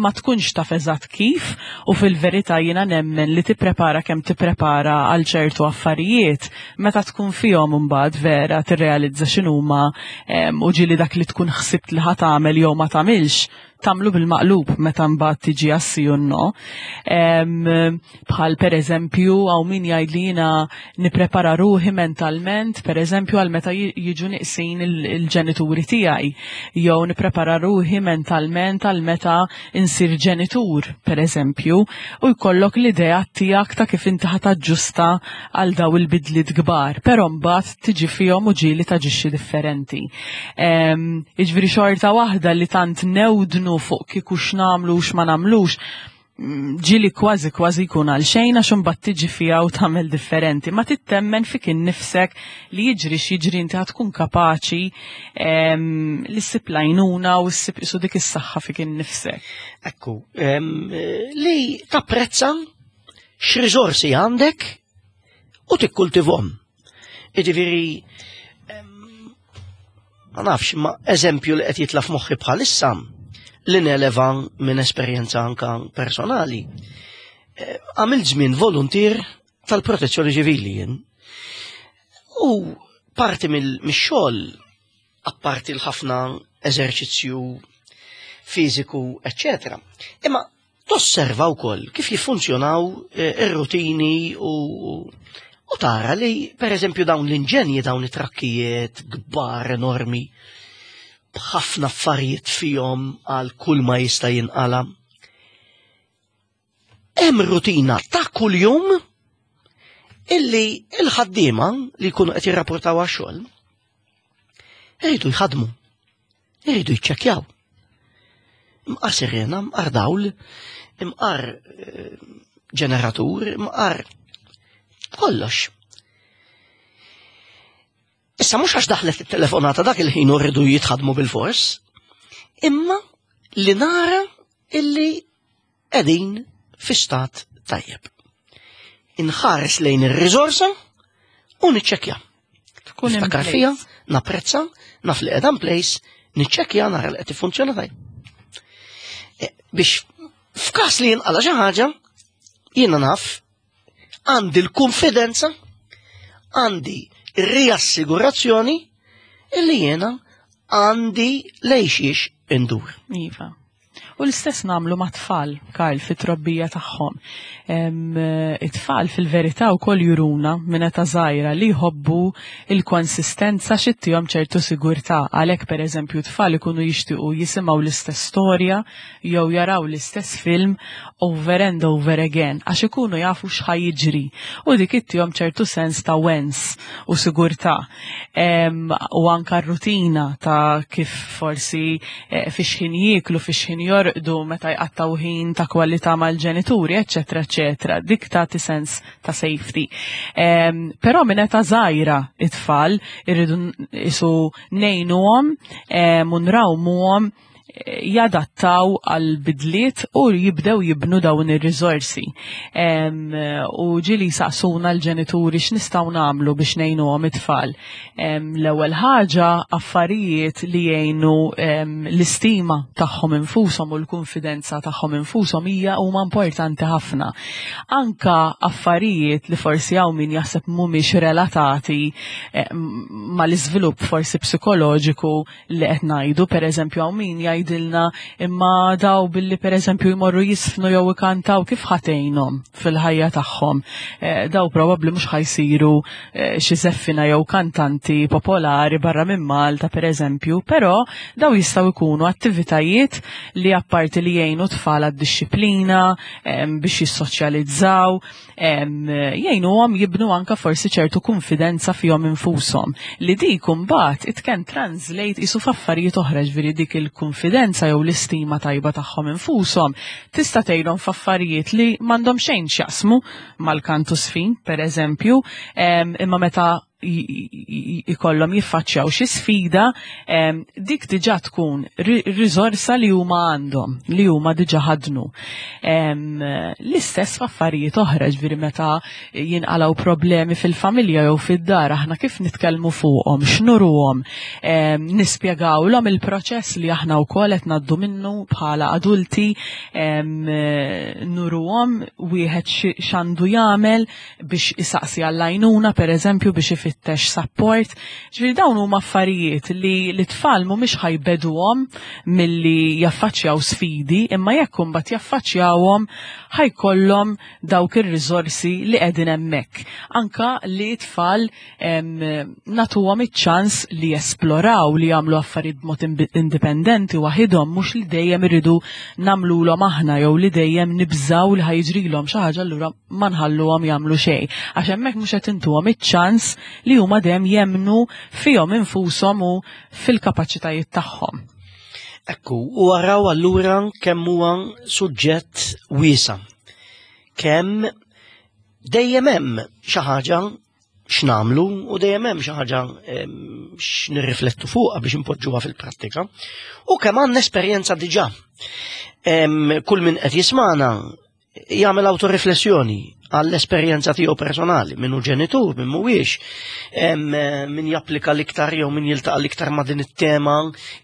Ma tkunx taf eżatt kif u fil-verità jiena nemmen li tipprepara kemm tipprepara għal ċertu affarijiet meta tkun fihom imbagħad vera tirrealizza x'inhuma u ġieli dak li tkun ħsibt li ħa tagħmel jew ma tagħmilx tagħmlu bil-maqlub meta mbagħad tiġi għas-sì u no. Bħal per eżempju hawn min jgħid li jiena nipprepara ruħi mentalment, per eżempju għal meta jiġu niqsin il-ġenituri tiegħi, jew nipprepara ruħi mentalment għal meta insir ġenitur, per eżempju, u jkollok l-idea tiegħek ta' kif inti ħa taġġusta għal daw il-bidliet kbar, però mbagħad tiġi fihom u ġieli taġixxi differenti. Jiġifieri xorta waħda li tant newdnu fuq kieku x'nagħmlu u x'ma nagħmlux, ġieli kważi kważi jkun għal xejn għax imbagħad tiġi fiha u tagħmel differenti. Ma tittemmen fik innifsek li jiġri x'jiġri inti tkun kapaċi li ssib l-għajnuna u ssib isu dik is-saħħa fik innifsek. Ekku, li tapprezza x'riżorsi għandek u tikkultivhom. Jiġifieri, ma nafx, ma eżempju li qed jitla' f'moħħi bħalissa li neleva minn esperjenza anka personali. Għamilt żmien volunteer tal-protezzjoni ċivili jien. U parti mill-xogħol, apparti l-ħafna eżerċizzju fiżiku, eccetera. Imma tosserva wkoll kif jiffunzjonaw ir-rutini u u tara li, per eżempju, dawn l-inġenji, dawn it-trakkijiet kbar enormi, b'ħafna affarijiet fihom għal kull ma jista' jinqala. Hemm rutina ta' kuljum illi il-ħaddiema li jkunu qed jirrapportaw għax-xogħol iridu jħadmu, iridu jiċċekkjaw. Imqar sirena, imqar dawl, imqar ġeneratur, imqar kollox. Issa mhux għax daħlet it-telefonata dak il-ħin u rridu jitħadmu bil-fors, imma li nara illi qegħdin fi stat tajjeb. Inħares lejn ir-riżorsa u niċċekkja. Tkun in Niftakar place. fija, napprezza, naf li qiegħda in place, niċċekkja nara li qed tiffunzjona tajjeb. E, biex f'każ li jinqala xi ħaġa, jiena naf għandi l-konfidenza, għandi riassigurazzjoni illi jiena għandi lejxiex indur. Iva. U l-istess nagħmlu ma' tfal, Karl, fit-trobbija tagħhom. It-tfal fil-verità wkoll juruna minn età żgħira li jħobbu il-konsistenza x'ttihom ċertu sigurtà. Għalhekk pereżempju tfal ikunu jixtiequ jisimgħu l-istess storja jew jaraw l-istess film over and over again għax ikunu jafu x'ħa jiġri. U dik ittihom ċertu sens ta' wens u sigurtà. U anka r-rutina ta' kif forsi eh, fix ħin jieklu, fix ħin jorqdu, meta jqattaw ħin ta' kwalità mal-ġenituri, eċċetera, eċċetera. Dik tagħti sens ta' safety. Um, però minn età żgħira it-tfal irridu isu ngħinuhom um, u nrawmuhom Jadattaw għal bidliet u jibdew jibnu dawn ir-riżorsi. U ġieli saqsuna l-ġenituri x'nistgħu nagħmlu biex ngħinuhom it-tfal. L-ewwel ħaġa, affarijiet li jgħinu l-istima tagħhom infushom u l-konfidenza tagħhom infushom hija huma importanti ħafna. Anka affarijiet li forsi hawn min jaħseb mhumiex relatati eh, mal-iżvilupp forsi psikoloġiku li qed ngħidu, pereżempju, hawn min jgħidilna imma daw billi, pereżempju, jmorru jiżfnu jew ikantaw, kif ħa tgħinhom fil-ħajja tagħhom? Eh, daw probabbli mhux ħa jsiru eh, xi żeffina jew kantanti popolari barra minn Malta, pereżempju, però daw jistgħu jkunu attivitajiet li apparti li jgħinu tfal għad-dixxiplina, biex jissoċjalizzaw, jgħinuhom jibnu anka forsi ċertu konfidenza fihom infushom li dik imbagħad it can translate isu f'affarijiet oħra. Ġifieri dik il-konfidenza jew l-istima tajba tagħhom infushom tista' tgħinhom f'affarijiet li m'għandhom xejn x'jaqsmu mal-kantu żfin, pereżempju, imma meta ikollhom jiffaċċjaw xi sfida, dik diġà tkun riżorsa li huma għandhom, li huma diġà ħadnu. L-istess f'affarijiet oħra, ġifieri meta jinqalgħu problemi fil-familja jew fid-dar, aħna kif nitkellmu fuqhom, x'nuruhom, nispjegawlhom il-proċess li aħna wkoll qed ngħaddu minnu bħala adulti, nuruhom wieħed x'għandu jagħmel biex isaqsi għall-għajnuna, pereżempju, biex ifittex support. Ġifieri dawn huma affarijiet li l-tfal mhumiex ħa jbegħduhom milli jaffaċċjaw sfidi, imma jekk imbagħad jaffaċċjawhom, ħa jkollhom dawk ir-riżorsi li qegħdin hemmhekk. Anka li tfal nagħtuhom iċ-ċans li jesploraw, li jagħmlu affarijiet b'mod indipendenti waħidhom, mhux li dejjem iridu nagħmluhom aħna jew li dejjem nibżaw li ħa jiġrilhom xi ħaġa, allura ma nħalluhom jagħmlu xejn. Għax hemmhekk mhux qed intuhom iċ-ċans li huma dejjem jemnu fihom infushom u fil-kapaċitajiet tagħhom. Ekku, u araw allura kemm huwa suġġett wiesa'. Kemm dejjem hemm xi ħaġa x'nagħmlu u dejjem hemm xi ħaġa x'nirriflettu fuqha biex inpoġġuha fil-prattika. U kemm għandna esperjenza diġà. Kull min qed jismana jagħmel autoriflessjoni għall-esperjenza tiegħu personali, min hu ġenitur, min mhuwiex, min japplika l-iktar jew min jiltaqa' l-iktar ma' din it-tema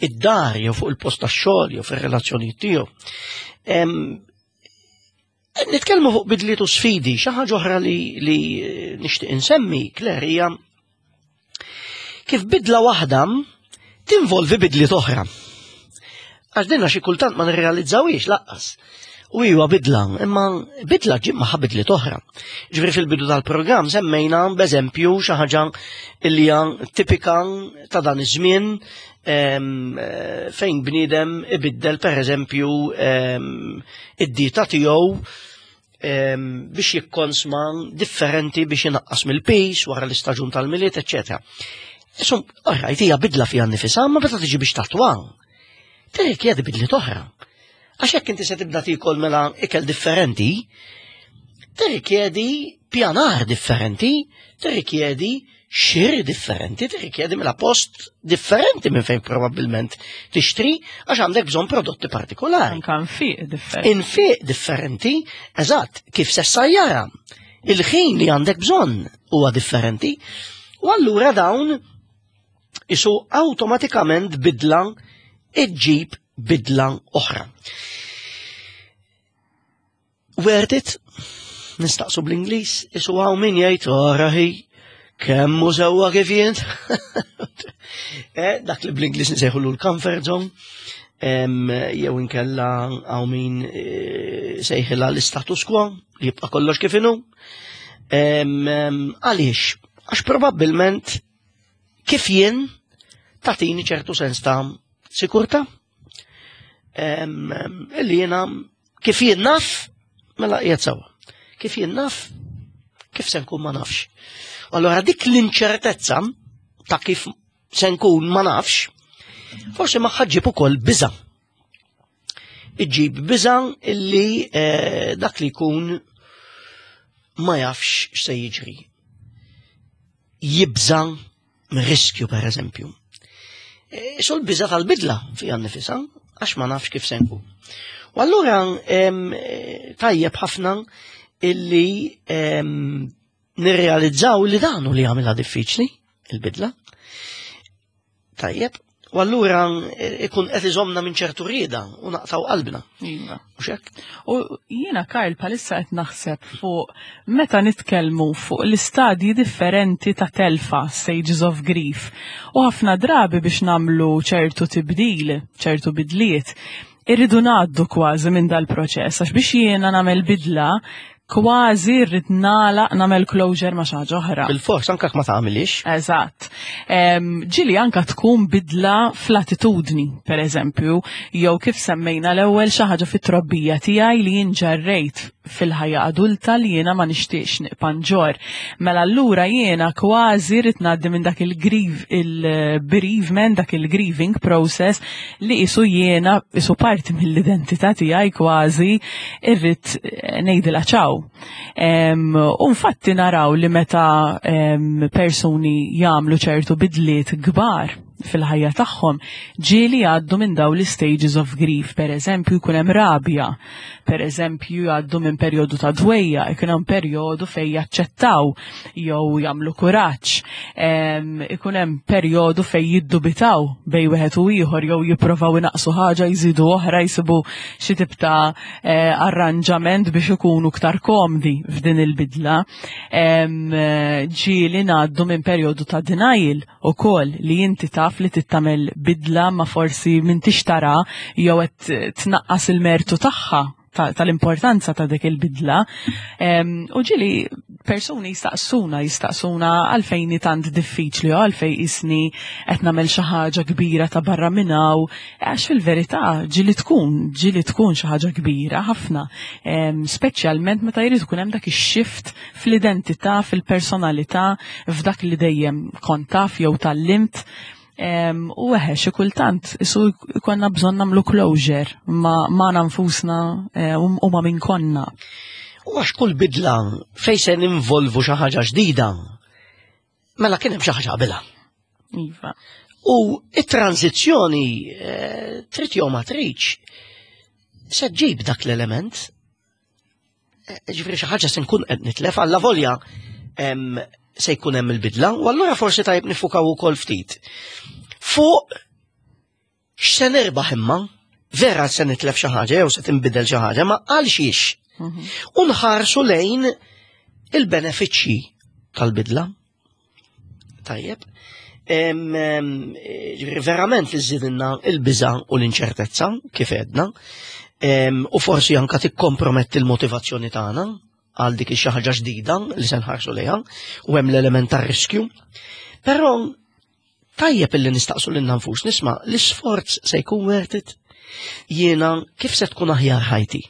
id-dar jew fuq il-post tax-xogħol jew fir-relazzjonijiet tiegħu. Nitkellmu fuq bidliet u sfidi, xi ħaġa oħra li, li nixtieq insemmi, Claire, hija kif bidla waħda tinvolvi bidliet oħra. Għax dinna xi kultant ma nirrealizzawhiex lanqas. U iwa bidla, imma bidla ġġib magħha bidliet oħra. Ġifieri fil-bidu tal-programm semmejna b'eżempju xi ħaġa li hija tipika ta' dan iż-żmien, fejn bniedem ibiddel, pereżempju, id-dieta tiegħu biex jikkonsma differenti biex inaqqas mill-pis wara l-istaġun tal-Milied, eċċetera. Isum, alright, hija bidla fiha nifisha, ma meta tiġi biex tattwa, tirrikjedi bidliet oħra. Għax jekk inti se tibda tikol mela ikel differenti, tirrikjedi pjanar differenti, tirrikjedi xiri differenti, tirrikjedi mela post differenti minn fejn probabbilment tixtri, għax għandek bżonn prodotti partikolari. Anka nfiq differenti. Infiq differenti, eżatt, kif se ssajjara. Il-ħin li għandek bżonn huwa differenti. U allura dawn isu awtomatikament bidla iġġib bidla oħra. Worth it? Nistaqsu bl-Ingliż, isu hawn min jgħid, "Arahi, kemm hu sewwa kif jien." Eh, dak li bl-Ingliż nsejħulu l-comfort zone, jew inkella hawn min eh, sejħilha l-status quo, li jibqa' kollox kif inhu. Għaliex? Għax probabbilment kif jien tagħtini ċertu sens ta' sikurta. Illi jiena kif jien naf, mela qiegħed sewwa. Kif jien naf, kif se nkun ma nafx. Allora dik l-inċertezza ta' kif se nkun ma nafx, forsi magħha ġġib ukoll biża'. Iġġib biża' illi eh, dak li jkun ma jafx x'se jiġri. Jibża' minn riskju, per eżempju. E, so l-biża' tal-bidla fija nifisha. Għax ma nafx kif se nkun. U allura em, eh, tajjeb ħafna illi em, nirrealizzaw li dan hu li għamilha diffiċli, il-bidla. Tajjeb, u allura eh, ikun qed iżomna minn ċertu rieda u naqtaw qalbna. Iva. Mhux hekk? U jiena, Karl, bħalissa qed naħseb fuq meta nitkellmu fuq l-istadji differenti ta' telfa, stages of grief. U ħafna drabi biex nagħmlu ċertu tibdil, ċertu bidliet, irridu ngħaddu kważi minn dal-proċess, għax biex jiena nagħmel bidla, kważi rrid nagħlaq, nagħmel closure ma' xi ħaġa oħra. Bil-fors anke ma tagħmilix. Eżatt. Em, Ġieli anka tkun bidla fl-attitudni, per eżempju, jew kif semmejna l-ewwel, xi ħaġa fit-trobbija tiegħi li jien ġarrejt fil-ħajja adulta li jiena ma nixtieqx nibqa' nġorr. Mela allura jiena kważi rrid ngħaddi minn dak il-grief, il-bereavement, dak il-grieving process li isu jiena isu parti mill-identità tiegħi kważi irrid eh, ngħidilha ċaw. Em, U infatti naraw li meta em, persuni jagħmlu ċertu bidliet kbar fil-ħajja tagħhom, ġieli jgħaddu minn dawn l-stages of grief, per eżempju jkun hemm rabja, per eżempju jgħaddu minn perjodu ta' dwejjaq, ikun hemm perjodu fejn jaċċettaw jew jagħmlu kuraġġ, em, ikun hemm perjodu fejn jiddubitaw bejn wieħed u ieħor jew jippruvaw inaqsu ħaġa, jżidu oħra, jsibu xi tip ta' eh, arranġament biex ikunu iktar komdi f'din il-bidla. Em, eh, Ġieli ngħaddu minn perjodu ta' denial ukoll, li inti taf li tagħmel bidla ma forsi m'intix tara jew qed tnaqqas il-mertu tagħha, tal-importanza ta' dik il-bidla. U ġieli persuni jistaqsuna, jistaqsuna għalfejn tant diffiċli u għalfejn jisni qed nagħmel xi ħaġa kbira ta' barra minn hawn, għax fil-verità ġieli tkun, ġieli tkun xi ħaġa kbira ħafna. Speċjalment meta jrid ikun hemm dak ix-shift fl-identità, fil-personalità, f'dak li dejjem kont taf jew tgħallimt. U eħe, xi kultant isu jkollna bżonn nagħmlu closure ma' ma nfusna eh, u ma' min konna. U għax kull bidla fej se ninvolvu xi ħaġa ġdida, mela kien hemm xi ħaġa qabilha. Iva. U it-tranzizzjoni, eh, trid jew ma tridx, se ġib dak l-element. Eh, ġifieri xi ħaġa se nkun qed nitlef alla volja se jkun hemm il-bidla, u allura forsi tajb nifukaw ukoll ftit fuq x'se nirbaħ, imma vera se nitlef xi ħaġa jew se tinbidel xi ħaġa, ma għal xiex? Mhm. U nħarsu lejn il-benefiċċji tal-bidla. Tajjeb. Verament li żżidilna il-biża u l-inċertezza, kif edna, u forsi anka tikkomprometti l-motivazzjoni tagħna għal dik xi ħaġa ġdida li se nħarsu lejha, u hemm l-element tar-riskju. Però tajjeb illi nistaqsu lil nfus, nisma', l-isforz se jkun worth it? Jiena kif se tkun aħjar ħajti?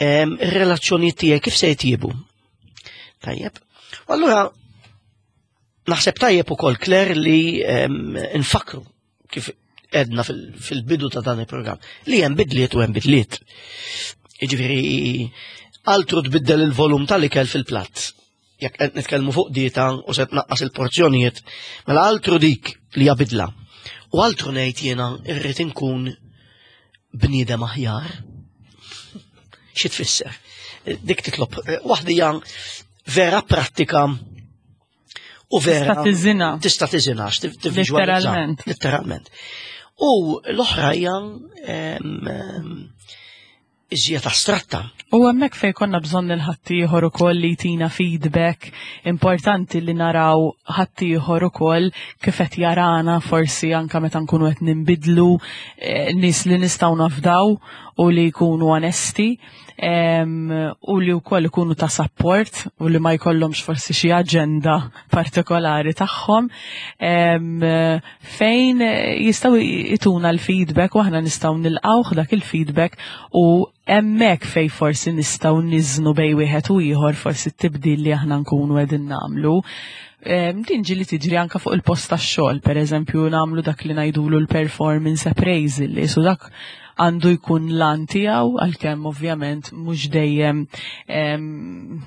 Ir-relazzjoni tiegħi kif se jtjiebu? Tajjeb. Allura naħseb tajjeb ukoll, Claire, li nfakru kif edna fil-bidu ta' dan il-programm li hemm bidliet u hemm bidliet. Jiġifieri altru tbiddel il-volum tal-ikel fil-platt. Jekk qed nitkellmu fuq dieta u se tnaqqas il-porzjonijiet, mela altru dik li hija bidla. U altru ngħid jiena irrid inkun bniedem aħjar. Xi tfisser? Dik titlob waħda hija vera prattika u vera. Tista' tiżinha. Tista' tiżinha, tivviżwalizza. Letteralment. Letteralment. U l-oħra hija em, em, iżjed astratta. U hemmhekk fejn konna bżonn il-ħaddieħor ukoll li jtina feedback, importanti li naraw ħaddieħor ukoll kif qed jarana forsi anka meta nkunu qed ninbidlu, eh, nies li nistgħu nafdaw u li jkunu onesti em, u li wkoll ikunu ta' support u li ma jkollhomx forsi xi aġenda partikolari tagħhom em, fejn jistgħu jtuna l-feedback u aħna nistgħu nilqawh dak il-feedback, u hemmhekk fej forsi nistgħu niżnu bejn wieħed u ieħor forsi t-tibdil li aħna nkunu qegħdin nagħmlu. Em, Din ġieli tiġri anka fuq il-post tax-xogħol, pereżempju nagħmlu dak li ngħidulu l-performance appraisal, li su dak għandu jkun l-għan tiegħu, għalkemm ovvjament mhux dejjem em,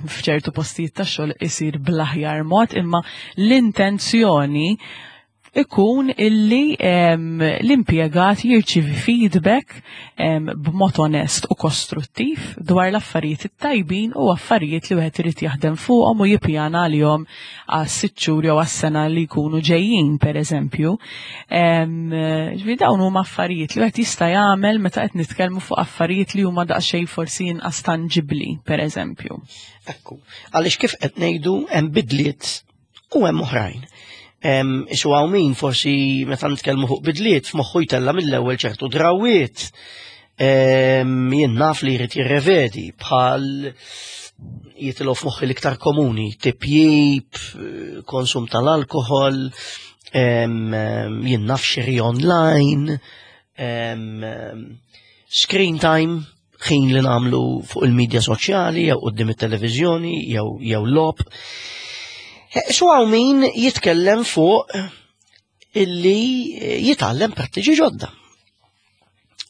f'ċertu postijiet tax-xogħol isir bl-aħjar mod, imma l-intenzjoni ikun illi em, l-impjegat jirċivi feedback em, b'mod onest u kostruttiv dwar l-affarijiet it-tajbin u affarijiet li wieħed irid jaħdem fuqhom u jippjana għalihom għas sitt xhur jew għas-sena li jkunu ġejjin, pereżempju. Em, Ġifieri dawn huma affarijiet li wieħed jista' jagħmel meta qed nitkellmu fuq affarijiet li huma daqsxejn forsi inqas tanġibbli, pereżempju. Ekku, għaliex kif qed ngħidu, hemm bidliet u hemm oħrajn. Em, Isu hawn min forsi meta nitkellmu fuq bidliet f'moħħu jtella' mill-ewwel ċertu drawiet. Em, Jien naf li jrid jirrevedi, bħal jitilgħu f'moħħi l-iktar komuni, tipjip, eh, konsum tal-alkohol, em, em, jien naf xiri online, em, em, screen time, ħin li nagħmlu fuq il-medja soċjali, jew quddiem it-televiżjoni, jew jew logħob. Eh, Su hawn min jitkellem fuq illi jitgħallem prattiċi ġodda.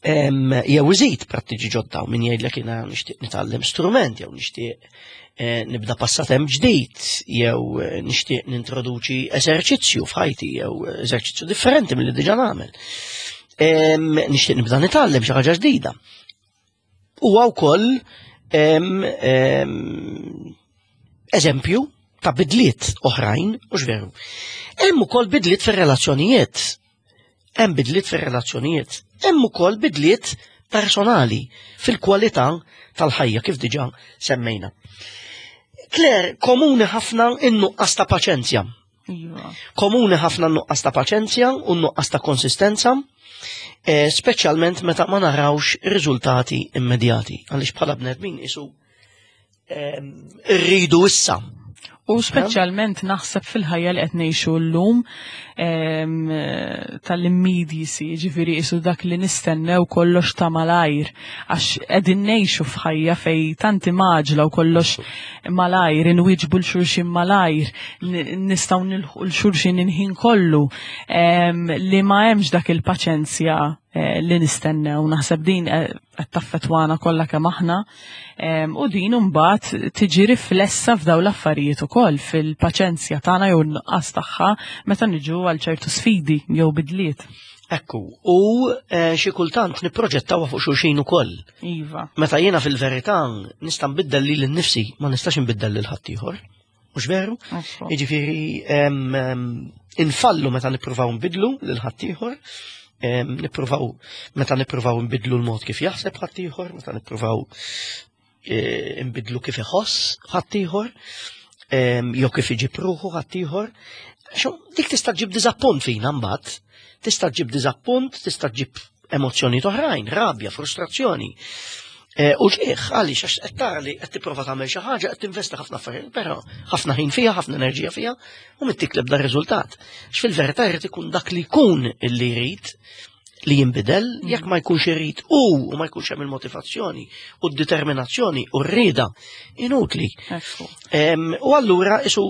Em, Jew iżid prattiċi ġodda, u min jgħidlek jiena nixtieq nitgħallem strument, jew nixtieq eh, nibda passatemp ġdid, jew eh, nixtieq nintroduċi eżerċizzju f'ħajti, jew eżerċizzju differenti milli diġà nagħmel. Em, Nixtieq nibda nitgħallem xi ħaġa ġdida. Huwa wkoll em, em, eżempju ta' bidliet oħrajn, u veru. Hemm ukoll bidliet fir-relazzjonijiet. Hemm bidliet fir-relazzjonijiet. Hemm ukoll bidliet personali fil-kwalità tal-ħajja, kif diġà semmejna. Claire, komuni ħafna in-nuqqas ta' paċenzja. Iva. Komuni ħafna n-nuqqas ta' paċenzja u n-nuqqas ta' konsistenza, eh, speċjalment meta ma narawx riżultati immedjati. Għaliex bħala bnedmin isu em, irridu issa. U speċjalment naħseb fil-ħajja li qed ngħixu llum em, tal-immediacy, ġifieri isu dak li nistennew kollox ta' malajr, għax qegħdin ngħixu f'ħajja fej tanti maġla u kollox malajr, inwieġbu 'l xulxin malajr, n- nistgħu nilħqu 'l xulxin il-ħin kollu, em, li ma hemmx dak il-paċenzja eh, li nistennew. Naħseb din eh, qed taffetwana kollha kemm aħna em, u din imbagħad tiġi riflessa f'daw l-affarijiet ukoll, fil-paċenzja tagħna jew n-nuqqas tagħha meta niġu għal ċertu sfidi jew bidliet. Ekku, u eh, xi kultant nipproġettawha fuq xulxin ukoll. Iva. Meta jiena fil-verità nista' nbiddel lili nnifsi, ma nistax nbiddel lil ħaddieħor. Mhux veru? Ekku. Jiġifieri em, em, infallu meta nippruvaw nbidlu lil ħaddieħor, em, nippruvaw meta nippruvaw nbidlu l-mod kif jaħseb ħaddieħor, meta nippruvaw eh, nbidlu kif iħoss ħaddieħor, em, jew kif iġib ruħu ħaddieħor. Xo, dik tista' ġib diżappunt fina mbagħad. Tista' ġib diżappunt, tista' ġib emozzjoni oħrajn, rabja, frustrazzjoni. Eh, U ġieħ, għaliex, għax qed tara li qed tipprova tagħmel xi ħaġa, qed tinvesti ħafna affarijiet, però ħafna ħin fiha, ħafna enerġija fiha, u m'ittik l-ebda riżultat. X'fil-verità jrid ikun dak li jkun illi jrid li jinbidel, jekk ma jkunx irid u u ma jkunx hemm il-motivazzjoni u d-determinazzjoni u r-rieda, inutli. Ekku. Em, U allura isu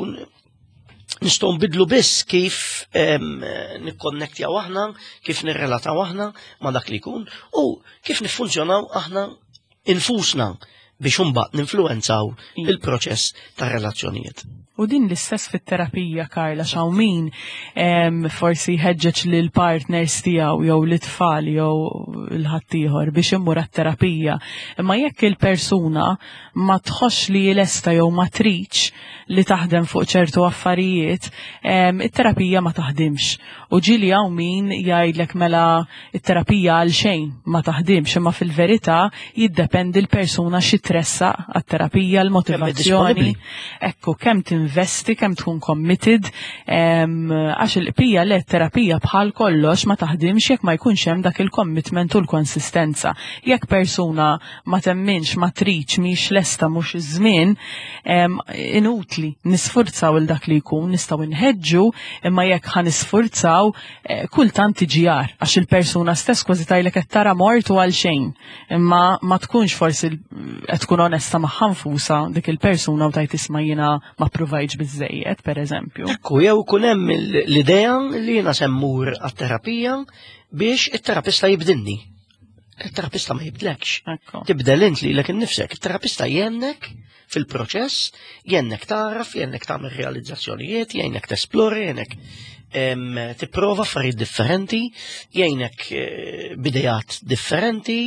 nistgħu nbidlu biss kif em, nikkonnektjaw aħna, kif nirrelataw aħna ma' dak li jkun u kif niffunzjonaw aħna infusna biex imbagħad ninfluwenzaw Iva. il-proċess ta' relazzjonijiet. U din l-istess fit-terapija, Karla, xawmin em, forsi jħeġġeġ lil partners tiegħu jew l-tfal jew l-ħaddieħor biex imur għat-terapija. Imma jekk il-persuna ma tħoss li lesta jew ma tridx li taħdem fuq ċertu affarijiet, em, it-terapija ma taħdimx. U ġieli hawn min jgħidlek mela it-terapija għal xejn, ma taħdimx, imma fil-verità jiddependi l-persuna xi tressaq għat-terapija, l-motivazzjoni. Disponibbli. Ekku, kemm tinvesti, kemm tkun committed, em, għax il-qpija le terapija bħal kollox ma taħdimx jekk ma jkunx hemm dak il-commitment u l-konsistenza. Jekk persuna ma temminx, ma tridx, mhix lesta, mhux iż-żmien, em, inutli nisfurzaw il dak li jkun, nistgħu nħeġġu, imma jekk ħa nisfurzaw, eh, kultant tiġi agħar, għax il-persuna stess kważi tgħidlek qed tara mort u għal xejn. Imma ma tkunx forsi l- qed tkun onesta magħha nfusha dik il-persuna u tgħid, "Isma', jiena ma provajtx biżejjed", pereżempju. Ekku, jew kun hemm l-idea li jiena se mmur għat-terapija biex it-terapista jibdilni. Il-terapista ma jibdlekx. Ekku. Tibdel int lilek innifsek. Il-terapista jgħinek fil-proċess, jgħinek taraf, jgħinek tagħmel realizzazzjonijiet, jgħinek tesplori, jgħinek Tipprova affarijiet differenti, jgħinek eh, b'idejat differenti,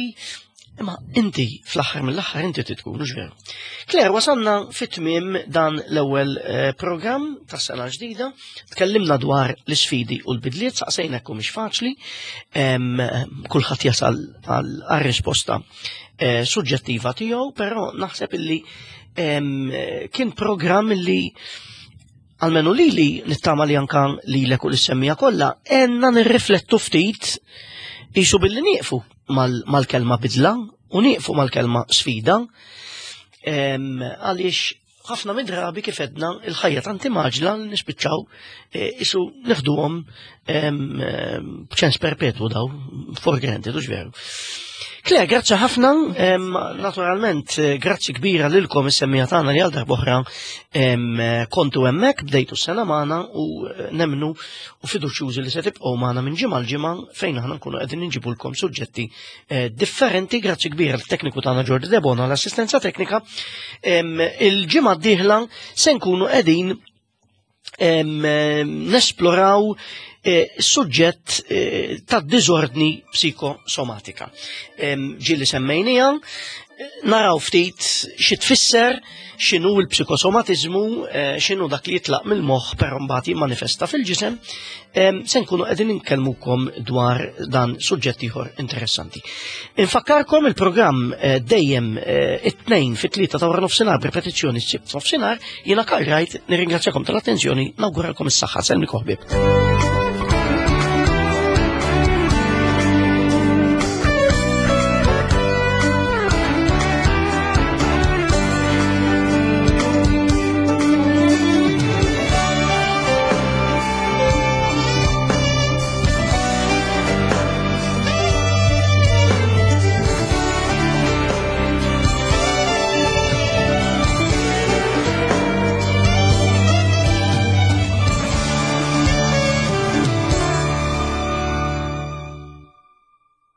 imma inti fl-aħħar mill-aħħar inti tkun, mhux veru? Claire, wasalna fit-tmiem dan l-ewwel eh, programm tas-sena ġdida, tkellimna dwar l-isfidi u l-bidliet, saqsejna mhux faċli, kulħadd jasal għal risposta eh, suġġettiva tiegħu, però naħseb illi kien programm illi almenu li li nittama li anka li l u l-semmija kollha, għenna nirriflettu ftit isu billi nieqfu mal-kelma bidla u nieqfu mal-kelma sfida, għaliex ħafna mid-drabi, kif għedna, il-ħajja tant mgħaġġla li nispiċċaw e, isu neħduhom b'ċens perpetwu daw for granted, u veru? Claire, grazzi ħafna, naturalment, eh, grazzi kbira lilkom is-semmija tagħna li għal darb'oħra kontu hemmhekk, bdejtu s-sena magħna u eh, nemmnu u fiduċjużi li se tibqgħu magħna minn ġimgħa l-ġimgħa fejn aħna nkunu qegħdin inġibulkom suġġetti eh, differenti. Grazzi kbira l-tekniku tagħna Jordi Debona, l-assistenza teknika. Il-ġimgħa d-dieħla se nkunu qegħdin nesploraw eh, suġġett eh, ta' diżordni psikosomatika. Ġieli semmejnija, naraw ftit xi tfisser, x'inhu l-psikosomatizmu, eh, x'inhu dak li jitlaq mill-moħħ però mbagħad jimmanifesta fil-ġisem, se nkunu qegħdin inkellmukom dwar dan suġġett ieħor interessanti. Infakkarkom il-programm eh, dejjem eh, it-tnejn fit-tlieta ta' wara nofsinhar, b'ripetizzjoni s-sibt nofsinhar. Jiena Karl Wright, nirringrazzjakom tal-attenzjoni, nawguralkom is-saħħa, sellmilkom ħbieb.